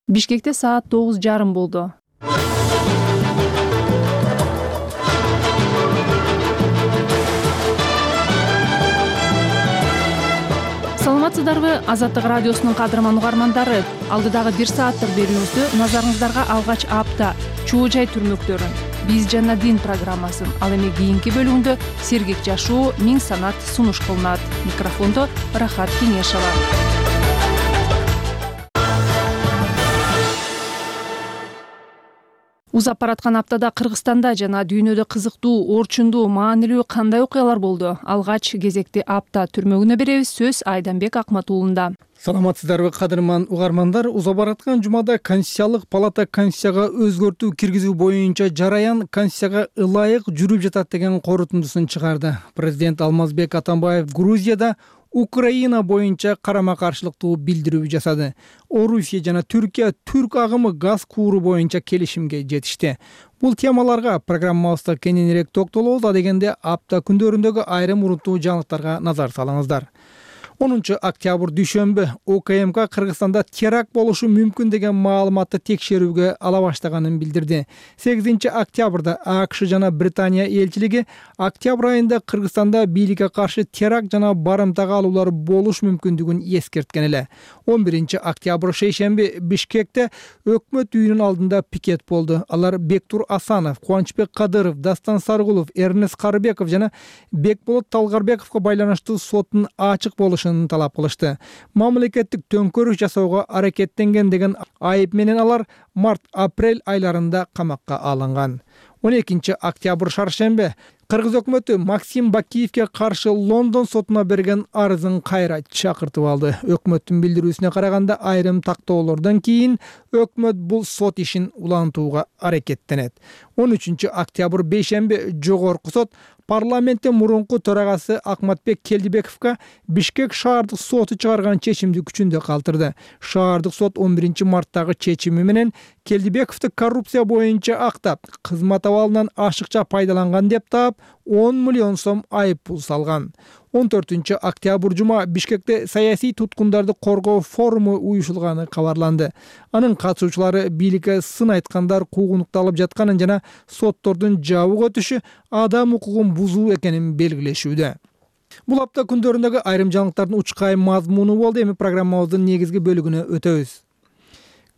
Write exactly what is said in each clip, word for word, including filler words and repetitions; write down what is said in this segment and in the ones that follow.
Бишкекте саат тогуз жарым болду. Саламатсыздарбы, Азаттык радиосунун кадырман угармандары. Алдыдагы бир сааттык берүүбүздү назарыңыздарга алгач апта чоо жай түрмөктөрүн, биз жана дин программасын, ал эми кийинки бөлүгүндө сергек жашоо, миң санат сунуш кылынат. Микрофондо Рахат Кеңешова. Узап бараткан аптада Кыргызстанда жана дүйнөдө кызыктуу, орчундуу, маанилүү кандай окуялар болду? Алгач кезекти апта түрмөгүнө беребиз. Сөз Айданбек Акматуулунда. Саламатсыздарбы, кадырман угармандар. Узап бараткан жумада Конституциялык палата Конституцияга өзгөртүү киргизүү боюнча жараян Конституцияга ылайык жүрүп жатат деген корутундусун чыгарды. Президент Алмазбек Атамбаев Грузияда Украина боюнча карама-каршылыктуу билдирүү жасады. Орусия жана Түркия түрк агымы газ кууру боюнча келишимге жетишти. Бул темаларга программабызда кененирээк токтолобуз. А дегенде апта күндөрүндөгү айрым урунттуу жаңылыктарга назар салыңыздар. онунчу октябрь дүйшөмбү УКМК Кыргызстанда теракт болушу мүмкүн деген маалыматты текшерүүгө ала баштаганын билдирди. сегизинчи октябрда АКШ жана Британия элчилиги октябрь айында Кыргызстанда бийликке каршы теракт жана барымтага алуулар болуш мүмкүндүгүн эскерткен эле. он биринчи октябрь шейшемби Бишкекте өкмөт үйүнүн алдында пикет болду. Алар Бектур Асанов, Кубанычбек Кадыров, Дастан Саргулов, Эрнест Карыбеков жана Бекболот Талгарбековго байланыштуу соттун ачык болушу талап кылышты. Мамлекеттик төңкөрүш жасоого аракеттенген деген айып менен алар март-апрель айларында камакка алынган. он экинчи октябрь шаршембе Кыргыз өкмөтү Максим Бакиевке каршы Лондон сотуна берген арызын кайра чакыртып алды. Өкмөттүн билдирүүсүнө караганда айрым тактоолордон кийин өкмөт бул сот ишин улантууга аракеттенет. он үчүнчү октябрь бейшемби жогорку сот парламенттин мурунку төрагасы Акматбек Келдибековго Бишкек шаардык соту чыгарган чечимди күчүндө калтырды. Шаардык сот он биринчи марттагы чечими менен Келдибековду коррупция боюнча актап, кызмат абалынан ашыкча пайдаланган деп таап, он миллион сом айып пул салган. он төртүнчү октябрь жума Бишкекте саясий туткундарды коргоо форуму уюшулганы кабарланды. Анын катышуучулары бийликке сын айткандар куугунукталып жатканын жана соттордун жабык өтүшү адам укугун бузуу экенин белгилешүүдө. Бул апта күндөрүндөгү айрым жаңылыктардын учкай мазмуну болду. Эми программабыздын негизги бөлүгүнө өтөбүз.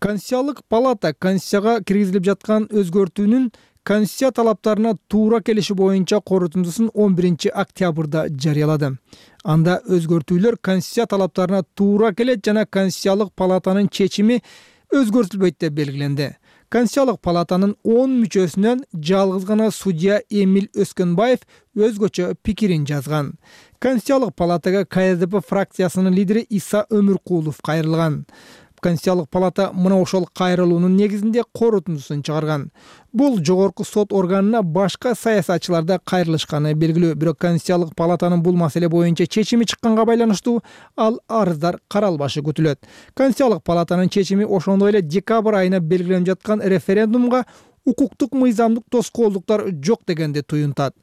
Конституциялык палата Конституцияга киргизилип жаткан өзгөртүүнүн Конституция талаптарына туура келиши боюнча корутундусун он биринчи октябрда жарыялады. Анда өзгөртүүлөр Конституция талаптарына туура келет жана Конституциялык палатанын чечими өзгөртүлбөйт деп белгиленди. Конституциялык палатанын он мүчөсүнөн жалгыз гана судья Эмиль Өскөнбаев өзгөчө пикирин жазган. Конституциялык палатага КСДП фракциясынын лидери Иса Өмүркулов кайрылган. Конституциялык палата мына ошол кайрылуунун негизинде корутундусун чыгарган. Бул жогорку сот органына башка саясатчылар да кайрылышканы белгилүү. Бирок Конституциялык палатанын бул маселе боюнча чечими чыкканга байланыштуу ал арыздар каралбашы күтүлөт. Конституциялык палатанын чечими ошондой эле декабрь айына белгиленип жаткан референдумга укуктук мыйзамдык тоскоолдуктар жок дегенди туюнтат.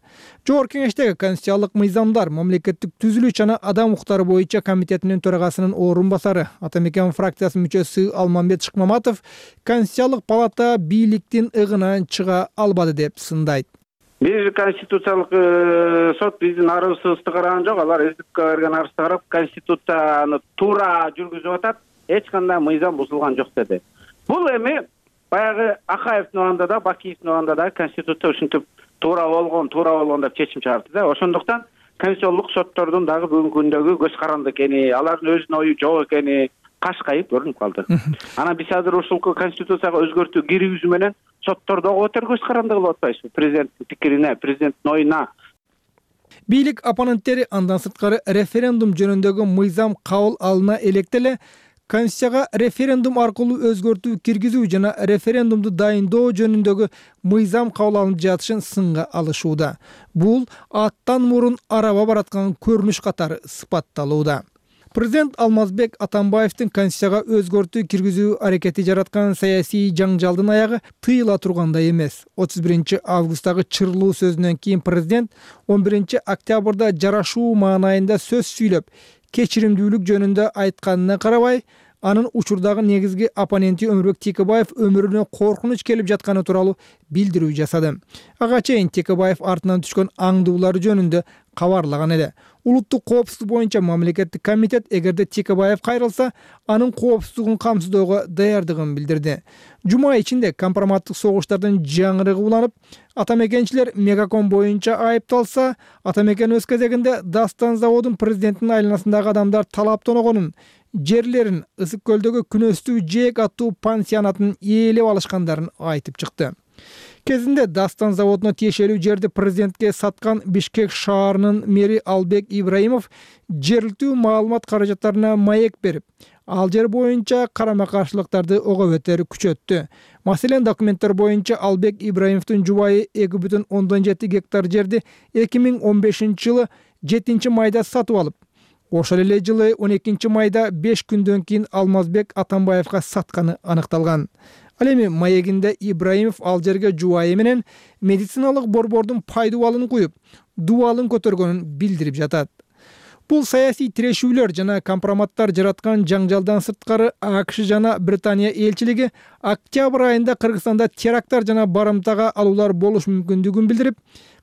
Жогорку кеңештеги конституциялык мыйзамдар мамлекеттик түзүлүш жана адам укуктары боюнча комитетинин төрагасынын орун басары Атамекен фракциясынын мүчөсү Алмамбет Шыкмаматов Конституциялык палата бийликтин ыгынан чыга албады деп сындайт. Биз конституциялык сот биздин арызыбызды караган жок. Алар СДК берген арызды карап конституцияны туура жүргүзүп атат, эч кандай мыйзам бузулган жок деди. Бул эми баягы Акаевдин убагында да, Бакиевдин убагында да конституция ушинтип туура болгон, туура болгон деп чечим чыгарды да. Ошондуктан конституциялык соттордун дагы бүгүнкү күндөгү көз каранды экени, алардын өзүнүн ою жок экени кашкайып көрүнүп калды. Анан биз азыр ушул конституцияга өзгөртүү киргизүү менен соттор дагы өтөр көз каранды кылып атпайбызбы? Президенттин пикирине, президенттин оюна. Бийлик оппоненттери андан сырткары референдум жөнүндөгү мыйзам кабыл алына электе Конституцияга референдум аркылуу өзгөртүү киргизүү жана референдумду дайындоо жөнүндөгү мыйзам кабыл алынып жатышын сынга алышууда. Бул аттан мурун араба бараткан көрүнүш катары сыпатталууда. Президент Алмазбек Атамбаевдин Конституцияга өзгөртүү киргизүү аракети жараткан саясий жаңжалдын аягы тыйыла тургандай эмес. отуз биринчи августтагы чырлуу сөзүнөн кийин президент он биринчи октябрда жарашуу маанайында сөз сүйлөп, кечиримдүүлүк жөнүндө айтканына карабай, анын учурдагы негизги оппоненти Өмүрбек Текебаев өмүрүнө коркунуч келип жатканы тууралуу билдирүү жасады. Ага чейин Текебаев артынан түшкөн аңдуулар жөнүндө кабарлаган эле. Улуттук коопсуздук боюнча мамлекеттик комитет эгерде Текебаев кайрылса, анын коопсуздугун камсыздоого даярдыгын билдирди. Жума ичинде компроматтык согуштардын жаңырыгы уланып, атамекенчилер Мегаком боюнча айыпталса, атамекен өз кезегинде Дастан заводун президентинин айланасындагы адамдар талаптаногонун, жерлерин Ысык көлдөгү Күнөстүү Жээк аттуу пансионатын ээлеп алышкандарын айтып чыкты. Кезинде Дастан заводуна тиешелүү жерди президентке саткан Бишкек шаарынын мэри Албек Ибраимов жергиликтүү маалымат каражаттарына маек берип, ал жер боюнча карама-каршылыктарды ого бетер күчөттү. Маселен, документтер боюнча Албек Ибраимовдун жубайы эки бүтүн ондон жети гектар жерди эки миң он бешинчи жылы жетинчи майда сатып алып, ошол эле жылы он экинчи майда беш күндөн кийин Алмазбек Атамбаевга сатканы аныкталган. Ал эми маегинде Ибраимов ал жерге жубайы менен медициналык борбордун пайдубалын куюп, дубалын көтөргөнүн билдирип жатат. Бул саясий тирешүүлөр жана компроматтар жараткан жаңжалдан сырткары АКШ жана Британия элчилиги октябрь айында Кыргызстанда теракттар жана барымтага алуулар болуш мүмкүндүгүн билдирип,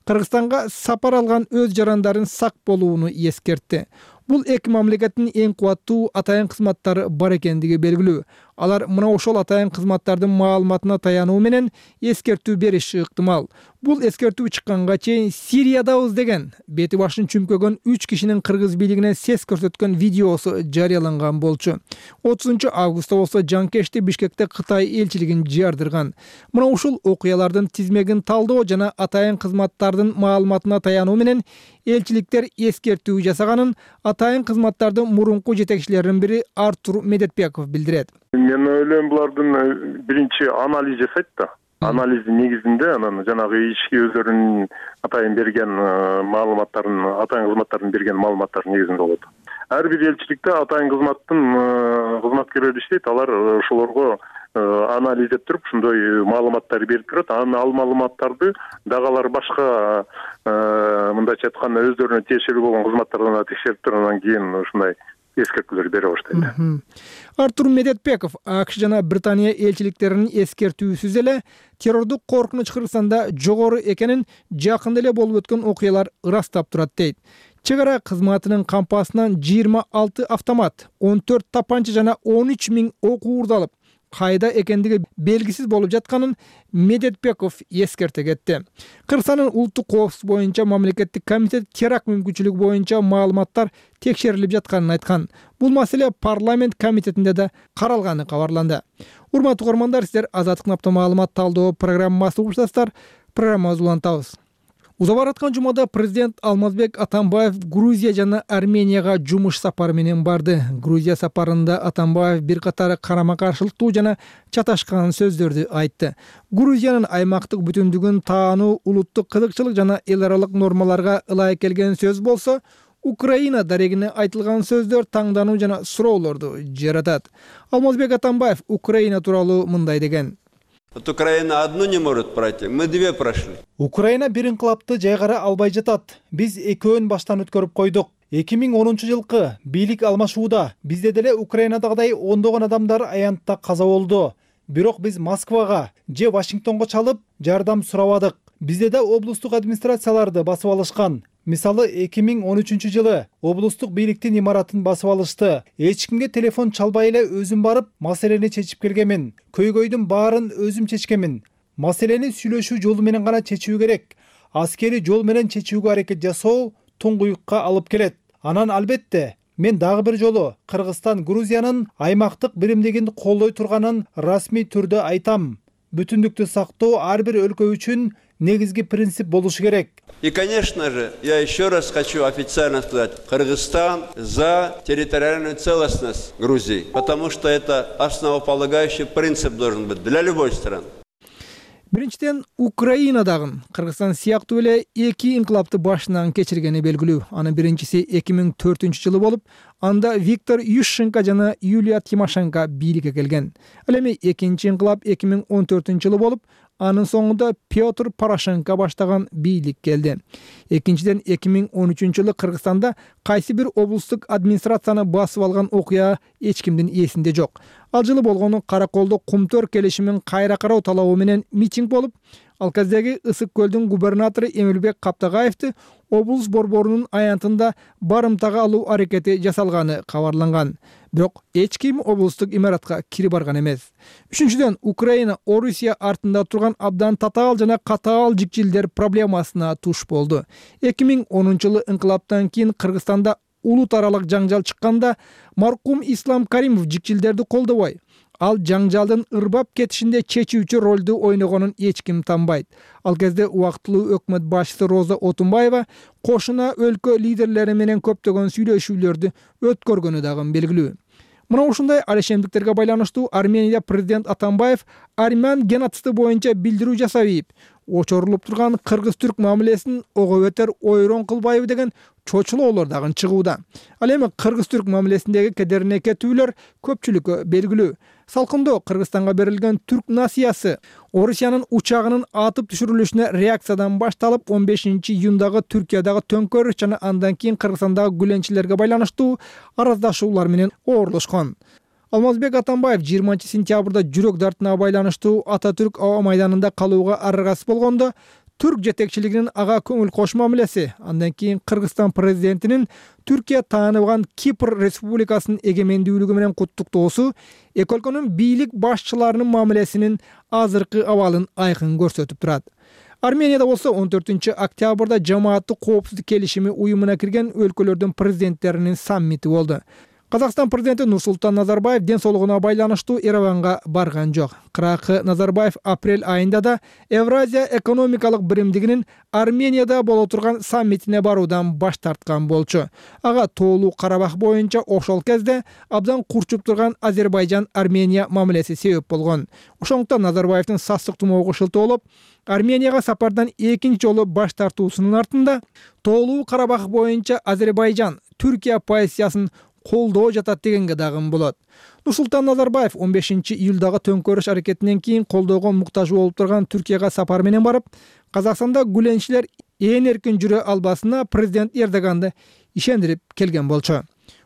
Кыргызстанга сапар алган өз жарандарын сак болууну эскертти. Бул эки мамлекеттин эң кубаттуу атайын кызматтары бар экендиги белгилүү. Алар мына ошол атайын кызматтардын маалыматына таянуу менен эскертүү бериши ыктымал. Бул эскертүү чыкканга чейин Сириядабыз деген бети башын чүмкөгөн үч кишинин кыргыз бийлигине сес көрсөткөн видеосу жарыяланган болчу. отузунчу августта болсо жанкешти Бишкекте Кытай элчилигин жардырган. Мына ушул окуялардын тизмегин талдоо жана атайын кызматтардын маалыматына таянуу менен элчиликтер эскертүү жасаганын атайын кызматтардын мурунку жетекчилеринин бири Артур Медетбеков билдирет. Мен ойлойм, булардын биринчи анализ жасайт да. Анализдин негизинде анан жанагы ички өздөрүнүн атайын берген маалыматтарын, атайын кызматтардын берген маалыматтардын негизинде болот. Ар бир элчиликте атайын кызматтын кызматкерлери иштейт, алар ошолорго анализдеп туруп ушундай маалыматтар берип турат. Анан ал маалыматтарды дагы алар башка мындайча айтканда өздөрүнө тиешелүү болгон кызматтардан текшерип туруп, анан кийин ушундай эскертүүлөр бере баштайт. Артур Медетбеков АКШ жана Британия элчиликтеринин эскертүүсүз эле террордук коркунуч Кыргызстанда жогору экенин жакында эле болуп өткөн окуялар ырастап турат дейт. Чек ара кызматынын кампасынан жыйырма алты автомат, он төрт тапанча жана он үч миң ок уурдалып, кайда экендиги белгисиз болуп жатканын Медетбеков эскерте кетти. Кыргызстандын улуттук коопсуздук боюнча мамлекеттик комитет теракт мүмкүнчүлүгү боюнча маалыматтар текшерилип жатканын айткан. Бул маселе парламент комитетинде да каралганы кабарланды. Урматтуу угармандар, сиздер Азаттык Напта маалымат талдоо программасы угушасыздар. Программабызды улантабыз. Уза бараткан жумада президент Алмазбек Атамбаев Грузия жана Арменияга жумуш сапары менен барды. Грузия сапарында Атамбаев бир катар карама-каршылыктуу жана чаташкан сөздөрдү айтты. Грузиянын аймактык бүтүндүгүн таануу, улуттук кызыкчылык жана эл аралык нормаларга ылайык келген сөз болсо, Украина дарегине айтылган сөздөр таңдануу жана суроолорду жаратат. Алмазбек Атамбаев Украина тууралуу мындай деген: Вот Украина одну не может пройти, мы две прошли. Украина бир инкылапты жайгара албай жатат. Биз экөөн баштан өткөрүп койдук. эки миң онунчу жылкы бийлик алмашууда бизде деле Украинадагыдай ондогон адамдар аянтта каза болду. Бирок биз Москвага же Вашингтонго чалып жардам сурабадык. Бизде да облустук администрацияларды басып алышкан. Мисалы эки миң он үчүнчү жылы облустук бийликтин имаратын басып алышты. Эч кимге телефон чалбай эле өзүм барып, маселени чечип келгенмин. Көйгөйдүн баарын өзүм чечкенмин. Маселени сүйлөшүү жолу менен гана чечүү керек. Аскери жол менен чечүүгө аракет жасоо туңгуюкка алып келет. Анан албетте мен дагы бир жолу Кыргызстан Грузиянын аймактык биримдигин колдой турганын расмий түрдө айтам. Бүтүндүктү сактоо ар бир өлкө үчүн негизги принцип болушу керек. И, конечно же, я еще раз хочу официально сказать, Кыргызстан за территориальную целостность Грузии, потому что это основополагающий принцип должен быть для любой страны. Биринчиден, Украина дагы Кыргызстан сыяктуу эле эки инкылапты башынан кечиргени белгилүү. Анын биринчиси эки миң төртүнчү жылы болуп, анда Виктор Ющенко жана Юлия Тимошенко бийликке келген. Ал эми экинчи инкылап эки миң он төртүнчү жылы болуп, анын соңунда Петр Порошенко баштаган бийлик келди. Экинчиден, эки миң он үчүнчү жылы Кыргызстанда кайсы бир облустук администрацияны басып алган окуя эч кимдин эсинде жок. Ал жылы болгону Караколдо Кумтөр келишимин кайра кароо талабы менен митинг болуп, ал кездеги Ысык көлдүн губернатору Эмилбек Каптагаевди облус борборунун аянтында барымтага алуу аракети жасалганы кабарланган. Бирок эч ким облустук имаратка кирип барган эмес. Үчүнчүдөн, Украина Орусия артында турган абдан татаал жана катаал жикчилдер проблемасына туш болду. эки миң онунчу жылы инкылаптан кийин Кыргызстанда улут аралык жаңжал чыкканда маркум Ислам Каримов жикчилдерди колдобой, ал жаңжалдын ырбап кетишинде чечүүчү ролду ойногонун эч ким танбайт. Ал кезде убактылуу өкмөт башчысы Роза Отунбаева кошуна өлкө лидерлери менен көптөгөн сүйлөшүүлөрдү өткөргөнү дагы белгилүү. Мына ушундай алешемдиктерге байланыштуу Арменияда президент Атамбаев армян геноциди боюнча билдирүү жасап ийип, очорулуп турган кыргыз-түрк мамилесин ого бетер ойрон кылбайбы деген чочулоолор дагы чыгууда. Ал эми кыргыз-түрк мамилесиндеги кедерине кетүүлөр көпчүлүккө белгилүү. Салкындоо Кыргызстанга берилген түрк насыясы Орусиянын учагынын атып түшүрүлүшүнө реакциядан башталып, он бешинчи июндагы Түркиядагы төңкөрүш жана андан кийин Кыргызстандагы гүленчилерге байланыштуу араздашуулар менен оорлошкон. Алмазбек Атамбаев жыйырманчы сентябрда жүрөк дартына байланыштуу Ататүрк аба майданында калууга аргасыз болгондо, түрк жетекчилигинин ага көңүл кош мамилеси, андан кийин Кыргызстан президентинин Түркия тааныбаган Кипр республикасынын эгемендүүлүгү менен куттуктоосу эки өлкөнүн бийлик башчыларынын мамилесинин азыркы абалын айкын көрсөтүп турат. Арменияда болсо он төртүнчү октябрда жамааттык коопсуздук келишими уюмуна кирген өлкөлөрдүн президенттеринин саммити болду. Казакстан президенти Нурсултан Назарбаев ден соолугуна байланыштуу Ереванга барган жок. Кыракы Назарбаев апрель айында да Евразия экономикалык биримдигинин Арменияда боло турган саммитине баруудан баш тарткан болчу. Ага тоолуу Карабах боюнча ошол кезде абдан курчуп турган Азербайжан-Армения мамилеси себеп болгон. Ошондуктан Назарбаевдин састык тумоого шылтоолоп, Арменияга сапардан экинчи жолу баш тартуусунун артында тоолуу Карабах боюнча Азербайжан Түркия позициясын колдоо жатат дегенге дагы болот. Нурсултан Назарбаев он бешинчи июлдагы төңкөрүш аракетинен кийин колдоого муктаж болуп турган Түркияга сапар менен барып, Казакстанда гүленчилер ээн эркин жүрө албасына президент Эрдоганды ишендирип келген болчу.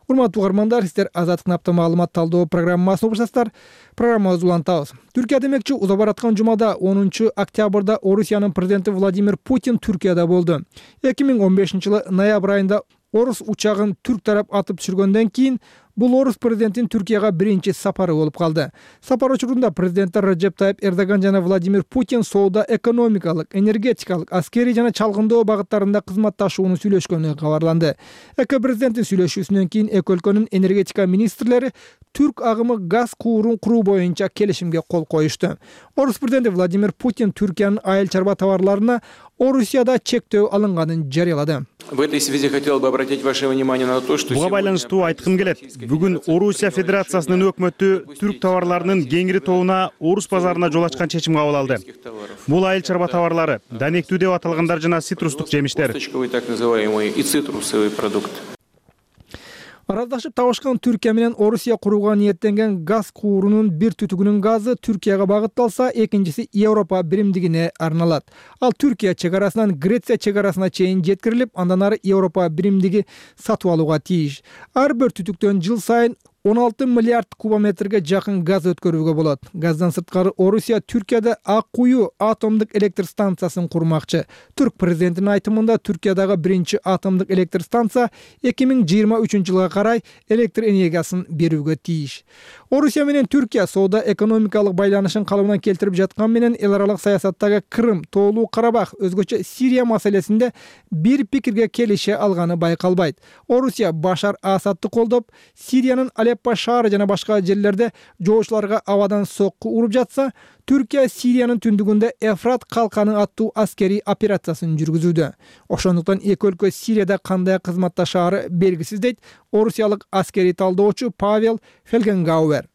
Урматтуу угармандар, сиздер Азаттык напта маалымат талдоо программасын угушасыздар. Программабызды улантабыз. Түркия демекчи, уза бараткан жумада онунчу октябрда Орусиянын президенти Владимир Путин Түркияда болду. эки миң он бешинчи жылы ноябрь айында орус учагын түрк тарап атып түшүргөндөн кийин бул орус президентинин Түркияга биринчи сапары болуп калды. Сапар учурунда президенттер Реджеп Тайип Эрдоган жана Владимир Путин соода, экономикалык, энергетикалык, аскерий жана чалгындоо багыттарында кызматташууну сүйлөшкөнү кабарланды. Эки президенттин сүйлөшүүсүнөн кийин эки өлкөнүн энергетика министрлери түрк агымы газ куурун куруу боюнча келишимге кол коюшту. Орус президенти Владимир Путин Түркиянын айыл чарба товарларына Орусияда чектөө алынганын жарыялады. В этой связи хотел бы обратить ваше внимание на то, что буга байланыштуу айткым келет. Бүгүн Орусия Федерациясынын өкмөтү түрк товарларынын кеңири тобуна орус базарына жол ачкан чечим кабыл алды. Бул айыл чарба товарлары, данектүү деп аталгандар жана цитрустук жемиштер. Так называемый и цитрусовый продукт. Араздашып табышкан Түркия менен Орусия курууга ниеттенген газ куурунун бир түтүгүнүн газы Түркияга багытталса, экинчиси Европа биримдигине арналат. Ал Түркия чек арасынан Греция чек арасына чейин жеткирилип, андан ары Европа биримдиги сатып алууга тийиш. Ар бир түтүктөн жыл сайын он алты миллиард кубометрге жакын газ өткөрүүгө болот. Газдан сырткары Орусия Түркияда Ак Кую атомдук электр станциясын курмакчы. Түрк президентинин айтымында Түркиядагы биринчи атомдук электр станция эки миң жыйырма үчүнчү жылга карай электр энергиясын берүүгө тийиш. Орусия менен Түркия соода экономикалык байланышын калыбына келтирип жаткан менен эл аралык саясаттагы Крым, тоолуу Карабах, өзгөчө Сирия маселесинде бир пикирге келише алганы байкалбайт. Орусия Башар Асадты колдоп, Сириянын Алеппо шаары жана башка жерлерде жоочуларга абадан сокку уруп жатса, Түркия Сириянын түндүгүндө Эфрат калканы аттуу аскерий операциясын жүргүзүүдө. Ошондуктан эки өлкө Сирияда кандай кызматташаары белгисиз дейт орусиялык аскерий талдоочу Павел Фелгенгауэр.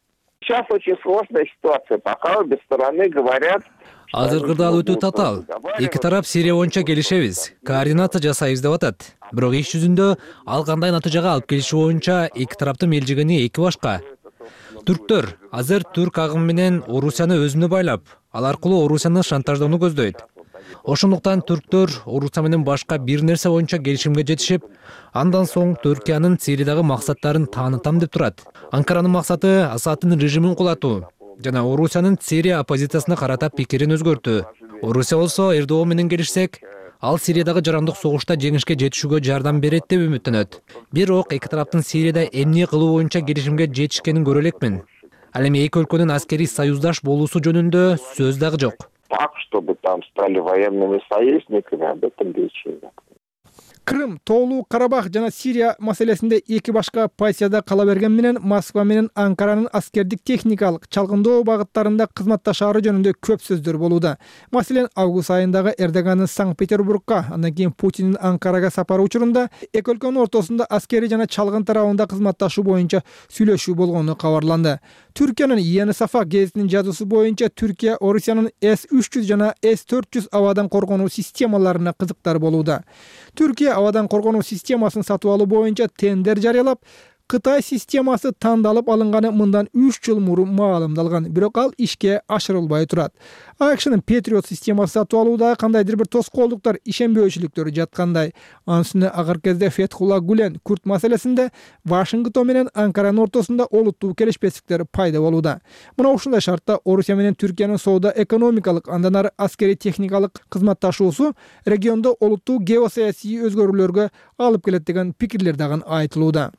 Сейчас очень сложная ситуация. Пока обе стороны говорят. Азыркы дал өтө татаал. Эки тарап Сирия боюнча келишебиз, координация жасайбыз деп атат. Бирок иш жүзүндө ал кандай натыйжага алып келиши боюнча эки тараптын мелжигени эки башка. Түрктөр азыр түрк агымы менен Орусияны өзүнө байлап, ал аркылуу Орусияны шантаждоону көздөйт. Ошондуктан түрктөр Орусия менен башка бир нерсе боюнча келишимге жетишип, андан соң Түркиянын Сириядагы максаттарын таанытам деп турат. Анкаранын максаты Асадтын режимин кулатуу жана Орусиянын Сирия оппозициясына карата пикирин өзгөртүү. Орусия болсо Эрдоган менен келишсек, ал Сириядагы жарандык согушта жеңишке жетишүүгө жардам берет деп үмүттөнөт. Бирок эки тараптын Сирияда эмне кылуу боюнча келишимге жетишкенин көрө элекмин. Ал эми эки өлкөнүн аскерий союздаш болуусу жөнүндө сөз дагы жок. Так, чтобы там стали военными союзниками, об этом речи нет. Крым, Тоолуу Карабах жана Сирия маселесинде эки башка позицияда кала берген менен Москва менен Анкаранын аскердик техникалык чалгындоо багыттарында кызматташаары жөнүндө көп сөздөр болууда. Маселен, август айындагы Эрдогандын Санкт-Петербургка, андан кийин Путиндин Анкарага сапары учурунда эки өлкөнүн ортосунда аскерий жана чалгын тарабында кызматташуу боюнча сүйлөшүү болгону кабарланды. Түркиянын Yeni Safak гезитинин жазуусу боюнча Түркия Орусиянын эс үч жүз жана эс төрт жүз абадан коргонуу системаларына кызыктар болууда. Түркия абадан коргонуу системасын сатып алуу боюнча тендер жарыялап, Кытай системасы тандалып алынганы мындан үч жыл мурун маалымдалган, бирок ал ишке ашырылбай турат. АКШнын Patriot системасы сатып алууда кандайдыр бир тоскоолдуктар, ишенбөөчүлүктөр жаткандай. Анын үстүнө акыркы кезде Фетхулла Гулен Күрт маселесинде Вашингтон менен Анкаранын ортосунда олуттуу келишпестиктер пайда болууда. Мына ушундай шартта Орусия менен Түркиянын соода экономикалык, андан ары аскерий техникалык кызматташуусу региондо олуттуу геосаясий өзгөрүүлөргө алып келет деген пикирлер дагы айтылууда.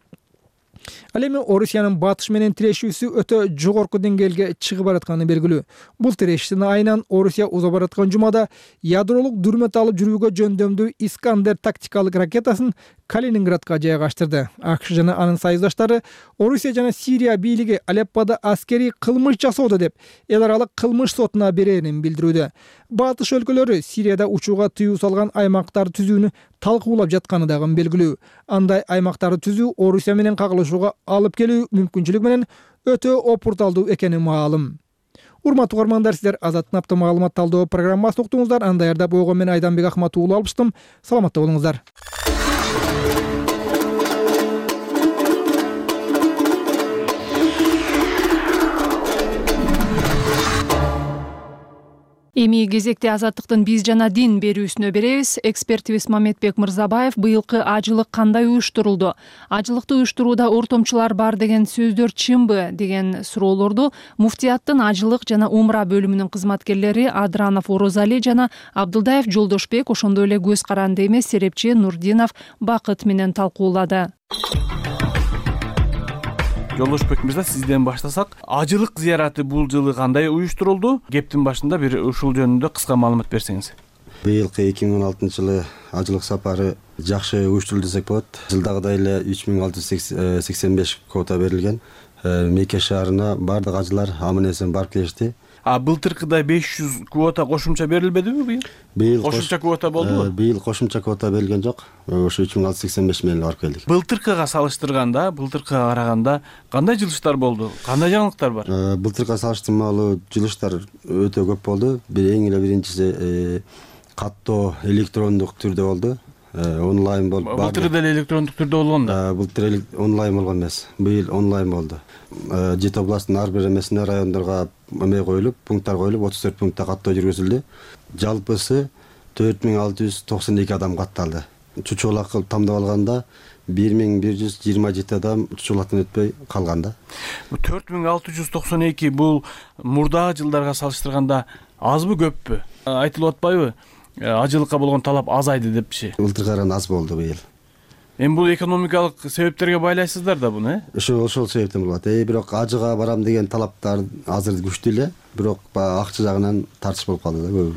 Ал эми Орусиянын батыш менен тирешүүсү өтө жогорку деңгээлге чыгып баратканы белгилүү. Бул тирешүүнүн айынан Орусия уза бараткан жумада ядролук дүрмөт алып жүрүүгө жөндөмдүү Искандер тактикалык ракетасын Калининградка жайгаштырды. АКШ жана анын союздаштары Орусия жана Сирия бийлиги Алеппода аскерий кылмыш жасоодо деп эл аралык кылмыш сотуна берерин билдирүүдө. Батыш өлкөлөрү Сирияда учууга тыюу салган аймактарды түзүүнү талкуулап жатканы дагы белгилүү. Андай аймактарды түзүү Орусия менен кагылышууга алып келүү мүмкүнчүлүгү менен өтө опурталдуу экени маалым. Урматтуу угармандар, сиздер Азаттын апта маалымат талдоо программасын уктуңуздар. Аны даярдап койгон мен Айданбек Ахмат уулу алыштым. Саламатта болуңуздар. Эми кезекте Азаттыктын биз жана дин берүүсүнө беребиз. Экспертибиз Мамедбек Мырзабаев быйылкы ажылык кандай уюштурулду? Ажылыкты уюштурууда ортомчулар бар деген сөздөр чынбы деген суроолорду Муфтияттын ажылык жана умра бөлүмүнүн кызматкерлери Адранов Орозали жана Абдылдаев Жолдошбек, ошондой эле көз каранды эмес серепчи Нурдинов Бакыт менен талкуулады. Жолдошбек мырза, сизден баштасак, ажылык зыяраты бул жылы кандай уюштурулду? Кептин башында бир ушул жөнүндө кыска маалымат берсеңиз. Быйылкы эки миң он алтынчы жылы ажылык сапары жакшы уюштурулду десек болот. Жылдагыдай эле үч миң алты жүз сексен беш квота берилген. Мекке шаарына бардык ажылар аман-эсен барып келишти. А былтыркыдай беш жүз квота кошумча берилбедиби быйыл? Быйыл кошумча квота болдубу? Быйыл кошумча квота берилген жок. Ошо үч миң алты жүз сексен беш менен барып келдик. Былтыркыга салыштырганда, былтыркыга караганда кандай жылыштар болду? Кандай жаңылыктар бар? Былтыркыга салыштырмалуу жылыштар өтө көп болду. Бир эң эле биринчиси каттоо электрондук түрдө болду. Онлайн болду. Былтыр деле электрондук түрдө болгон да. Былтыр онлайн болгон эмес. Быйыл онлайн болду. Жети областтын ар бир эмесине райондорго эме коюлуп, пункттар коюлуп, отуз төрт пунктта каттоо жүргүзүлдү. Жалпысы төрт миң алты жүз токсон эки адам катталды. Чучулак кылып тамдап алганда бир миң бир жүз жыйырма жети адам чучулактан өтпөй калган да. төрт миң алты жүз токсон эки бул мурдагы жылдарга салыштырганда азбы, көппү? Айтылып атпайбы? Ажылыкка болгон талап азайды депчи. Былтыркыга караганда аз болду быйыл. Эми бул экономикалык себептерге байлайсыздар да буну, э? Ошол ошол себептен болот. Э, бирок ажыга барам деген талаптар азыр күчтүү эле, бирок акча жагынан тартыш болуп калды да көбү.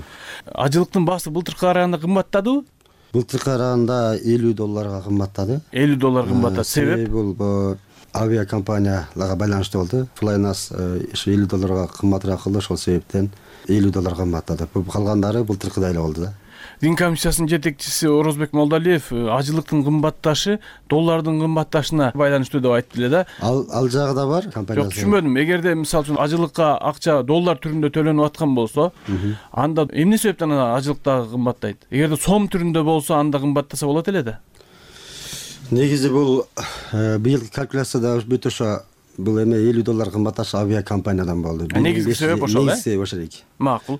Ажылыктын баасы былтыркыга караганда кымбаттадыбы? Былтыркыга караганда элүү долларга кымбаттады. элүү доллар кымбаттады. Себеп? Бул авиакомпанияларга байланыштуу болду. Flynas ошо элүү долларга кымбатыраак кылды, ошол себептен элүү долларга кымбаттады. Калгандары былтыркыдай эле болду да. Дин комиссиясынын жетекчиси Орозбек Молдалиев ажылыктын кымбатташы доллардын кымбатташына байланыштуу деп айтты эле да. Ал ал жагы да бар компаниясы. Жок, түшүнбөдүм. Эгерде мисалы үчүн ажылыкка акча доллар түрүндө төлөнүп аткан болсо, анда эмне себептен ажылык дагы кымбаттайт? Эгерде сом түрүндө болсо, анда кымбаттаса болот эле да. Негизи бул быйылкы калькуляцияда бүт ошо бул эме элүү доллар кымбатташ авиакомпаниядан болду. Негизги себеп ошол, э? Негизги ошол эки. Макул.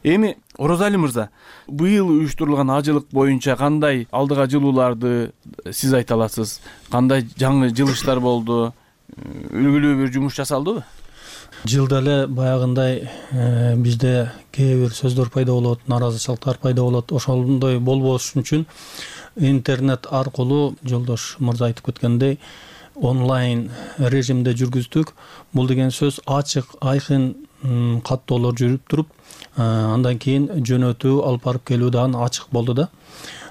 Эми Орозали мырза, быйыл уюштурулган ажылык боюнча кандай алдыга жылууларды сиз айта аласыз? Кандай жаңы жылыштар болду? Үлгүлүү бир жумуш жасалдыбы? Жылда эле баягындай бизде кээ бир сөздөр пайда болот, нааразычылыктар пайда болот. Ошондой болбош үчүн интернет аркылуу жолдош мырза айтып кеткендей онлайн режимде жүргүздүк. Бул деген сөз ачык, айкын каттоолор жүрүп туруп, андан кийин жөнөтүү, алып барып келүү дагы ачык болду да.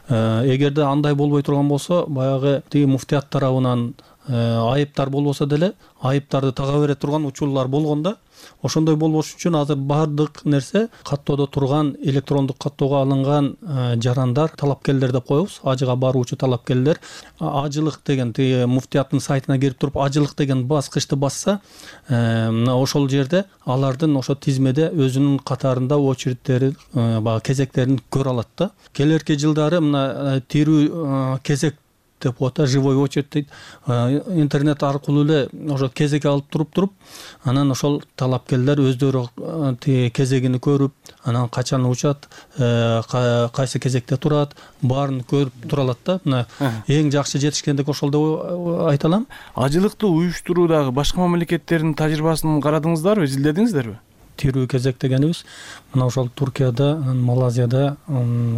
Эгерде андай болбой турган болсо, баягы тиги муфтият тарабынан айыптар болбосо деле, айыптарды тага бере турган учурлар болгон да. Ошондой болбош үчүн азыр баардык нерсе каттоодо турган электрондук каттоого алынган жарандар, талапкерлер деп коебуз, ажыга баруучу талапкерлер ажылык деген тиги муфтияттын сайтына кирип туруп ажылык деген баскычты басса, ошол жерде алардын ошо тизмеде өзүнүн катарында очередтери, баягы кезектерин көрө алат да. Келерки жылдары мына тирүү кезек деп коет, живой очередь дейт. Интернет аркылуу эле ошо кезек алып туруп туруп, анан ошол талапкерлер өздөрү кезегини көрүп, анан качан учат, кайсы кезекте турат, баарын көрүп тура алат да. Мына эң жакшы жетишкендик ошол деп айта алам. Ажылыкты уюштуруудагы башка мамлекеттердин тажрыйбасын карадыңыздарбы, изилдедиңиздерби? Тирүү кезек дегенибиз мына ошол Туркияда, Малайзияда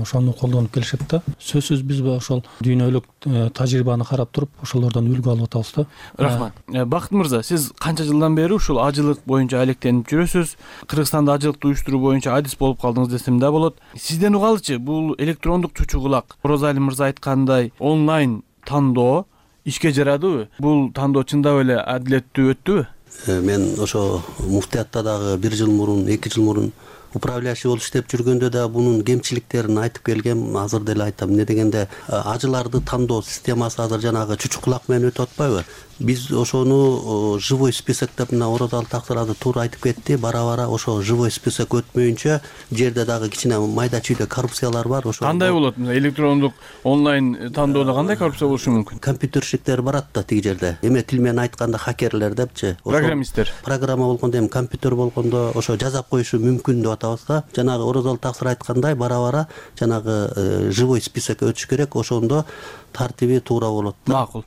ошону колдонуп келишет да. Сөзсүз биз ошол дүйнөлүк тажрыйбаны карап туруп, ошолордон үлгү алып атабыз да. Рахмат. Бакыт мырза, сиз канча жылдан бери ушул ажылык боюнча алектенип жүрөсүз? Кыргызстанда ажылыкты уюштуруу боюнча адис болуп калдыңыз десем да болот. Сизден угалычы, бул электрондук чучу кулак, Орозали мырза айткандай онлайн тандоо ишке жарадыбы? Бул тандоо чындап эле адилеттүү өттүбү? Мен ошо муфтиятта дагы бир жыл мурун, эки жыл мурун управляющий болуп иштеп жүргөндө да бунун кемчиликтерин айтып келгем. Азыр деле айтам. Эмне дегенде, ажыларды тандоо системасы азыр жанагы чучу кулак менен өтүп атпайбы? Биз ошону живой список деп мына Орозали Таксыр туура айтып кетти. Бара-бара ошо живой список өтмөйүнчө жерде дагы кичине майда чүйдө коррупциялар бар. Ошо кандай болот? Электрондук онлайн тандоодо кандай коррупция болушу мүмкүн? Компьютерщиктер барат да тиги жерде. Эме тил менен айтканда хакерлер депчи. Программисттер. Программа болгондо эми компьютер болгондо ошо жазап коюшу мүмкүн деп атабыз да. Жанагы Орозали Таксыр айткандай бара-бара жанагы живой список өтүш керек. Ошондо тартиби туура болот да. Макул.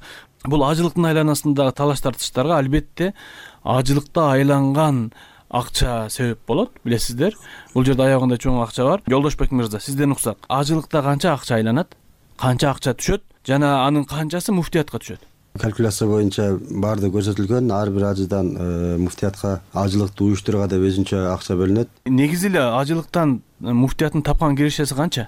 Бул ажылыктын айланасындагы талаш тартыштарга албетте ажылыкта айланган акча себеп болот, билесиздер. Бул жерде аягында чоң акча бар. Жолдошбек мырза, сизден уксак, ажылыкта канча акча айланат? Канча акча түшөт? Жана анын канчасы муфтиятка түшөт? Калькуляция боюнча баарды көрсөтүлгөн. Ар бир ажыдан муфтиятка ажылыкты уюштурууга деп өзүнчө акча бөлүнөт. Негизи эле ажылыктан муфтияттын тапкан кирешеси канча?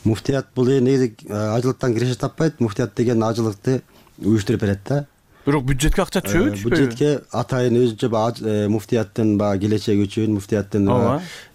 Муфтият бул негизи ажылыктан киреше таппайт. Муфтият деген ажылыкты уюштуруп берет да. Бирок бюджетке акча түшөбү, түшпөйбү? Бюджетке атайын өзүнчө муфтияттын баягы келечеги үчүн, муфтияттын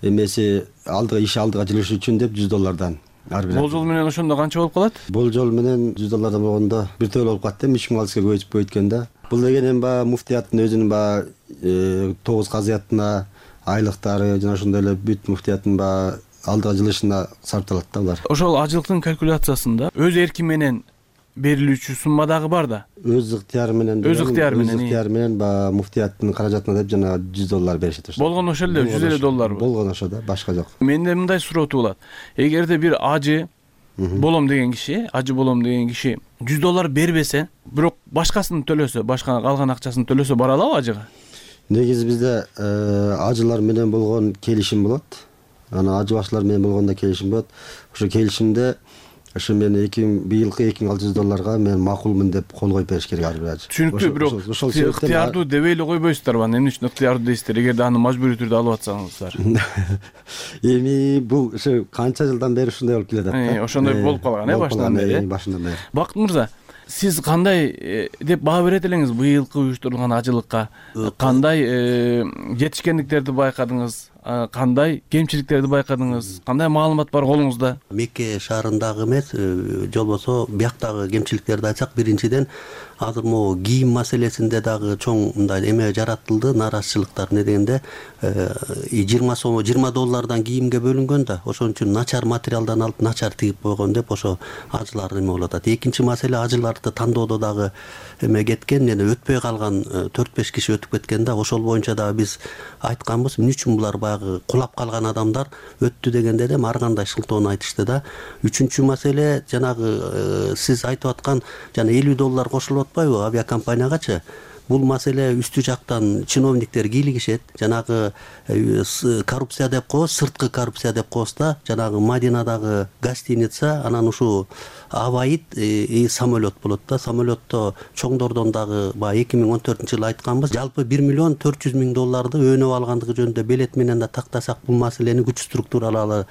эмеси алдыга иш алдыга жылышы үчүн деп жүз доллардан. Болжол менен ошондо канча болуп калат? Болжол менен жүз доллардан болгондо бир төлө болуп калат да, үч миң алыска көбөйтүп койгондо. Бул деген эми баягы муфтияттын өзүнүн баягы тогуз казыятына, айлыктары жана ошондой эле бүт муфтияттын баягы алдыга жылышына сарпталат да булар. Ошол ажылыктын калькуляциясында өз эрки менен берилүүчү сумма дагы бар да. Өз ыктыяры менен. Өз ыктыяры менен. Өз ыктыяры менен баягы муфтияттын каражатына деп жана жүз доллар беришет ошо. Болгон ошол эле жүз элүү долларбы? Болгон ошо да, башка жок. Менде мындай суроо туулат. Эгерде бир ажы болом деген киши, ажы болом деген киши жүз доллар бербесе, бирок башкасын төлөсө, башка калган акчасын төлөсө бара алабы ажыга? Негизи бизде ажылар менен болгон келишим болот. Анан ажы башчылар менен болгондо келишим болот. Ошо келишимде ошо мен быйылкы эки миң алты жүз долларга мен макулмун деп кол коюп бериш керек ар бир ажы. Түшүнүктүү, бирок ыктыярдуу дебей эле койбойсуздарбы? Эмне үчүн ыктыярдуу дейсиздер, эгерде аны мажбурий түрдө алып атсаңыздар? Эми бул ошо канча жылдан бери ушундай болуп келе атат да. Ошондой болуп калган, э, башынан бери. Башынан бери. Бакыт мырза, сиз кандай деп баа берет элеңиз быйылкы уюштурулган ажылыкка? Кандай жетишкендиктерди байкадыңыз? кандай кемчиликтерди байкадыңыз, кандай маалымат бар колуңузда? Мекке шаарындагы эмес, же болбосо бияктагы кемчиликтерди айтсак, биринчиден азыр могу кийим маселесинде дагы чоң мындай эме жаратылды, нааразычылыктар. Не дегенде жыйырма сом жыйырма доллардан кийимге бөлүнгөн да, ошон үчүн начар материалдан алып начар тигип койгон деп ошо ажылар эме болуп атат. Экинчи маселе, ажыларды тандоодо дагы эме кеткен, эне өтпөй калган төрт беш киши өтүп кеткен да, ошол боюнча дагы биз айтканбыз, эмне үчүн булар баягы кулап калган адамдар өттү дегенде да ар кандай шылтоону айтышты да. Үчүнчү маселе, жанагы сиз айтып аткан жана элүү доллар кошулуп атпайбы авиакомпаниягачы? Бул маселе үстү жактан чиновниктер кийлигишет, жанагы коррупция деп коебуз, сырткы коррупция деп коебуз да, жанагы Мадинадагы гостиница, анан ушул Аваид самолет болот да, самолетто чоңдордон дагы баягы эки миң он төртүнчү жылы айтканбыз, жалпы бир миллион төрт жүз миң долларды өнөп алгандыгы жөнүндө белет менен да тактасак, бул маселени күч структуралары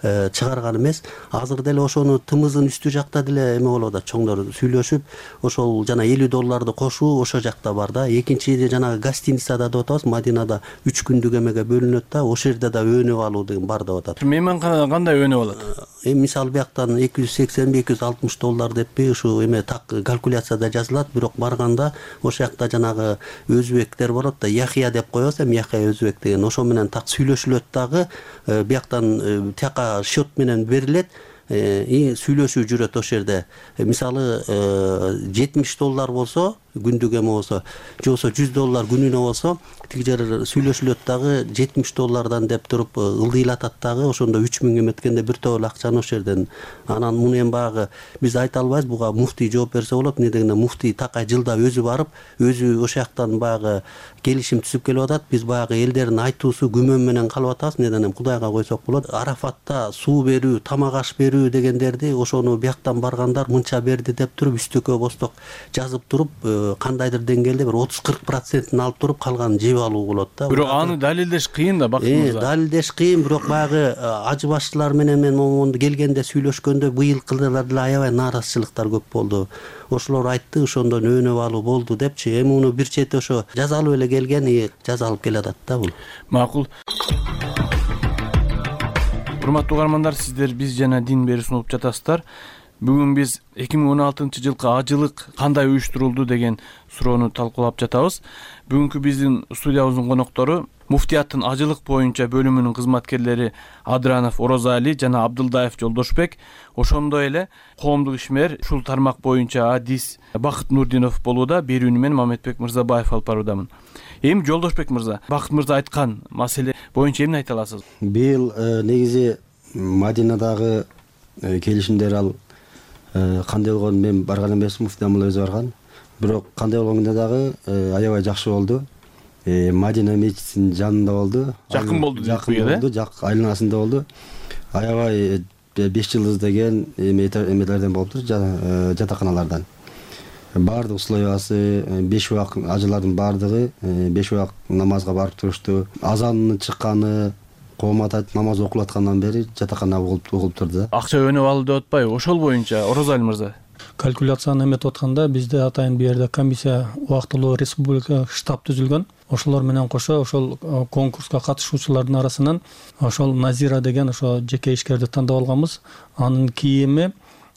чыгарган эмес. Азыр деле ошону тымызын үстү жакта деле эме болуп атат, чоңдор сүйлөшүп, ошол жана элүү долларды кошуу ошо жакта бар да. Экинчи жанагы гостиницада деп атабыз, Мадинада үч күндүк эмеге бөлүнөт да, ошол жерде да өнөп алуу деген бар деп атат. Мейманканада кандай өнөп алат? Эми мисалы бияктан эки жүз сексен эки жүз алтымыш доллар деппи, ушу эме так калькуляцияда жазылат, бирок барганда ошол жакта жанагы өзбектер болот да, Яхия деп коебуз, эми Яхия өзбек деген, ошо менен так сүйлөшүлөт дагы, бияктан тияка счет менен берилет, сүйлөшүү жүрөт ошол жерде. Мисалы жетимиш доллар болсо, күндүк эме болсо, же болсо жүз доллар күнүнө болсо, тиги жер сүйлөшүлөт дагы жетимиш доллардан деп туруп ылдыйлатат дагы, ошондо үч миң эметкенде бир тоол акчаны ошол жерден. Анан муну эми баягы биз айта албайбыз, буга муфтий жооп берсе болот. Эмне дегенде муфтий такай жылда өзү барып, өзү ошол жактан баягы келишим түзүп келип атат. Биз баягы элдердин айтуусу күмөн менен калып атабыз. Эмнеден эми Кудайга койсок болот. Арафатта суу берүү, тамак аш берүү дегендерди ошону бияктан баргандар мынча берди деп туруп үстөккө босток жазып туруп, кандайдыр деңгээлде бир отуз кырк процентин алып туруп калганын жеп алуу болот да. Бирок аны далилдеш кыйын да, бактыңызда. Далилдеш кыйын, бирок баягы ажы башчылар менен мен момунду келгенде сүйлөшкөндө быйылкылар деле аябай нааразычылыктар көп болду. Ошолор айтты, ошондон өнөп алуу болду депчи. Эми муну бир чети ошо жазалып эле келген, жазалып келатат да бул. Макул. Урматтуу угармандар, сиздер Биз жана Дин берүүсүн угуп жатасыздар. Бүгүн биз эки миң он алтынчы жылкы ажылык кандай уюштурулду деген суроону талкуулап жатабыз. Бүгүнкү биздин студиябыздын коноктору муфтияттын ажылык боюнча бөлүмүнүн кызматкерлери Адранов Орозали жана Абдылдаев Жолдошбек, ошондой эле коомдук ишмер ушул тармак боюнча адис Бакыт Нурдинов болууда. Берүүнү мен Мамедбек Мырзабаев алып баруудамын. Эми Жолдошбек мырза, Бакыт мырза айткан маселе боюнча эмне айта аласыз? Быйыл негизи Мадинадагы келишимдер ал кандай болгон, мен барган эмесмин, муфтий амал өзү барган. Бирок кандай болгондо дагы аябай жакшы болду. Мадина мечитинин жанында болду. Жакын болду, жакын болду, жак айланасында болду. Аябай беш жылдыз деген эмелерден болуптур, жатаканалардан. Баардык условиясы, беш убак ажылардын баардыгы беш убак намазга барып турушту. Азанын чыкканы, коомат намаз окулуп аткандан бери жатакана угулуп турду да. Акча өнөп алуу деп атпайбы? Ошол боюнча Орозали мырза. Калькуляцияны эметип атканда бизде атайын бул жерде комиссия, убактылуу республика штаб түзүлгөн. Ошолор менен кошо ошол конкурска катышуучулардын арасынан ошол Назира деген ошо жеке ишкерди тандап алганбыз. Анын кийими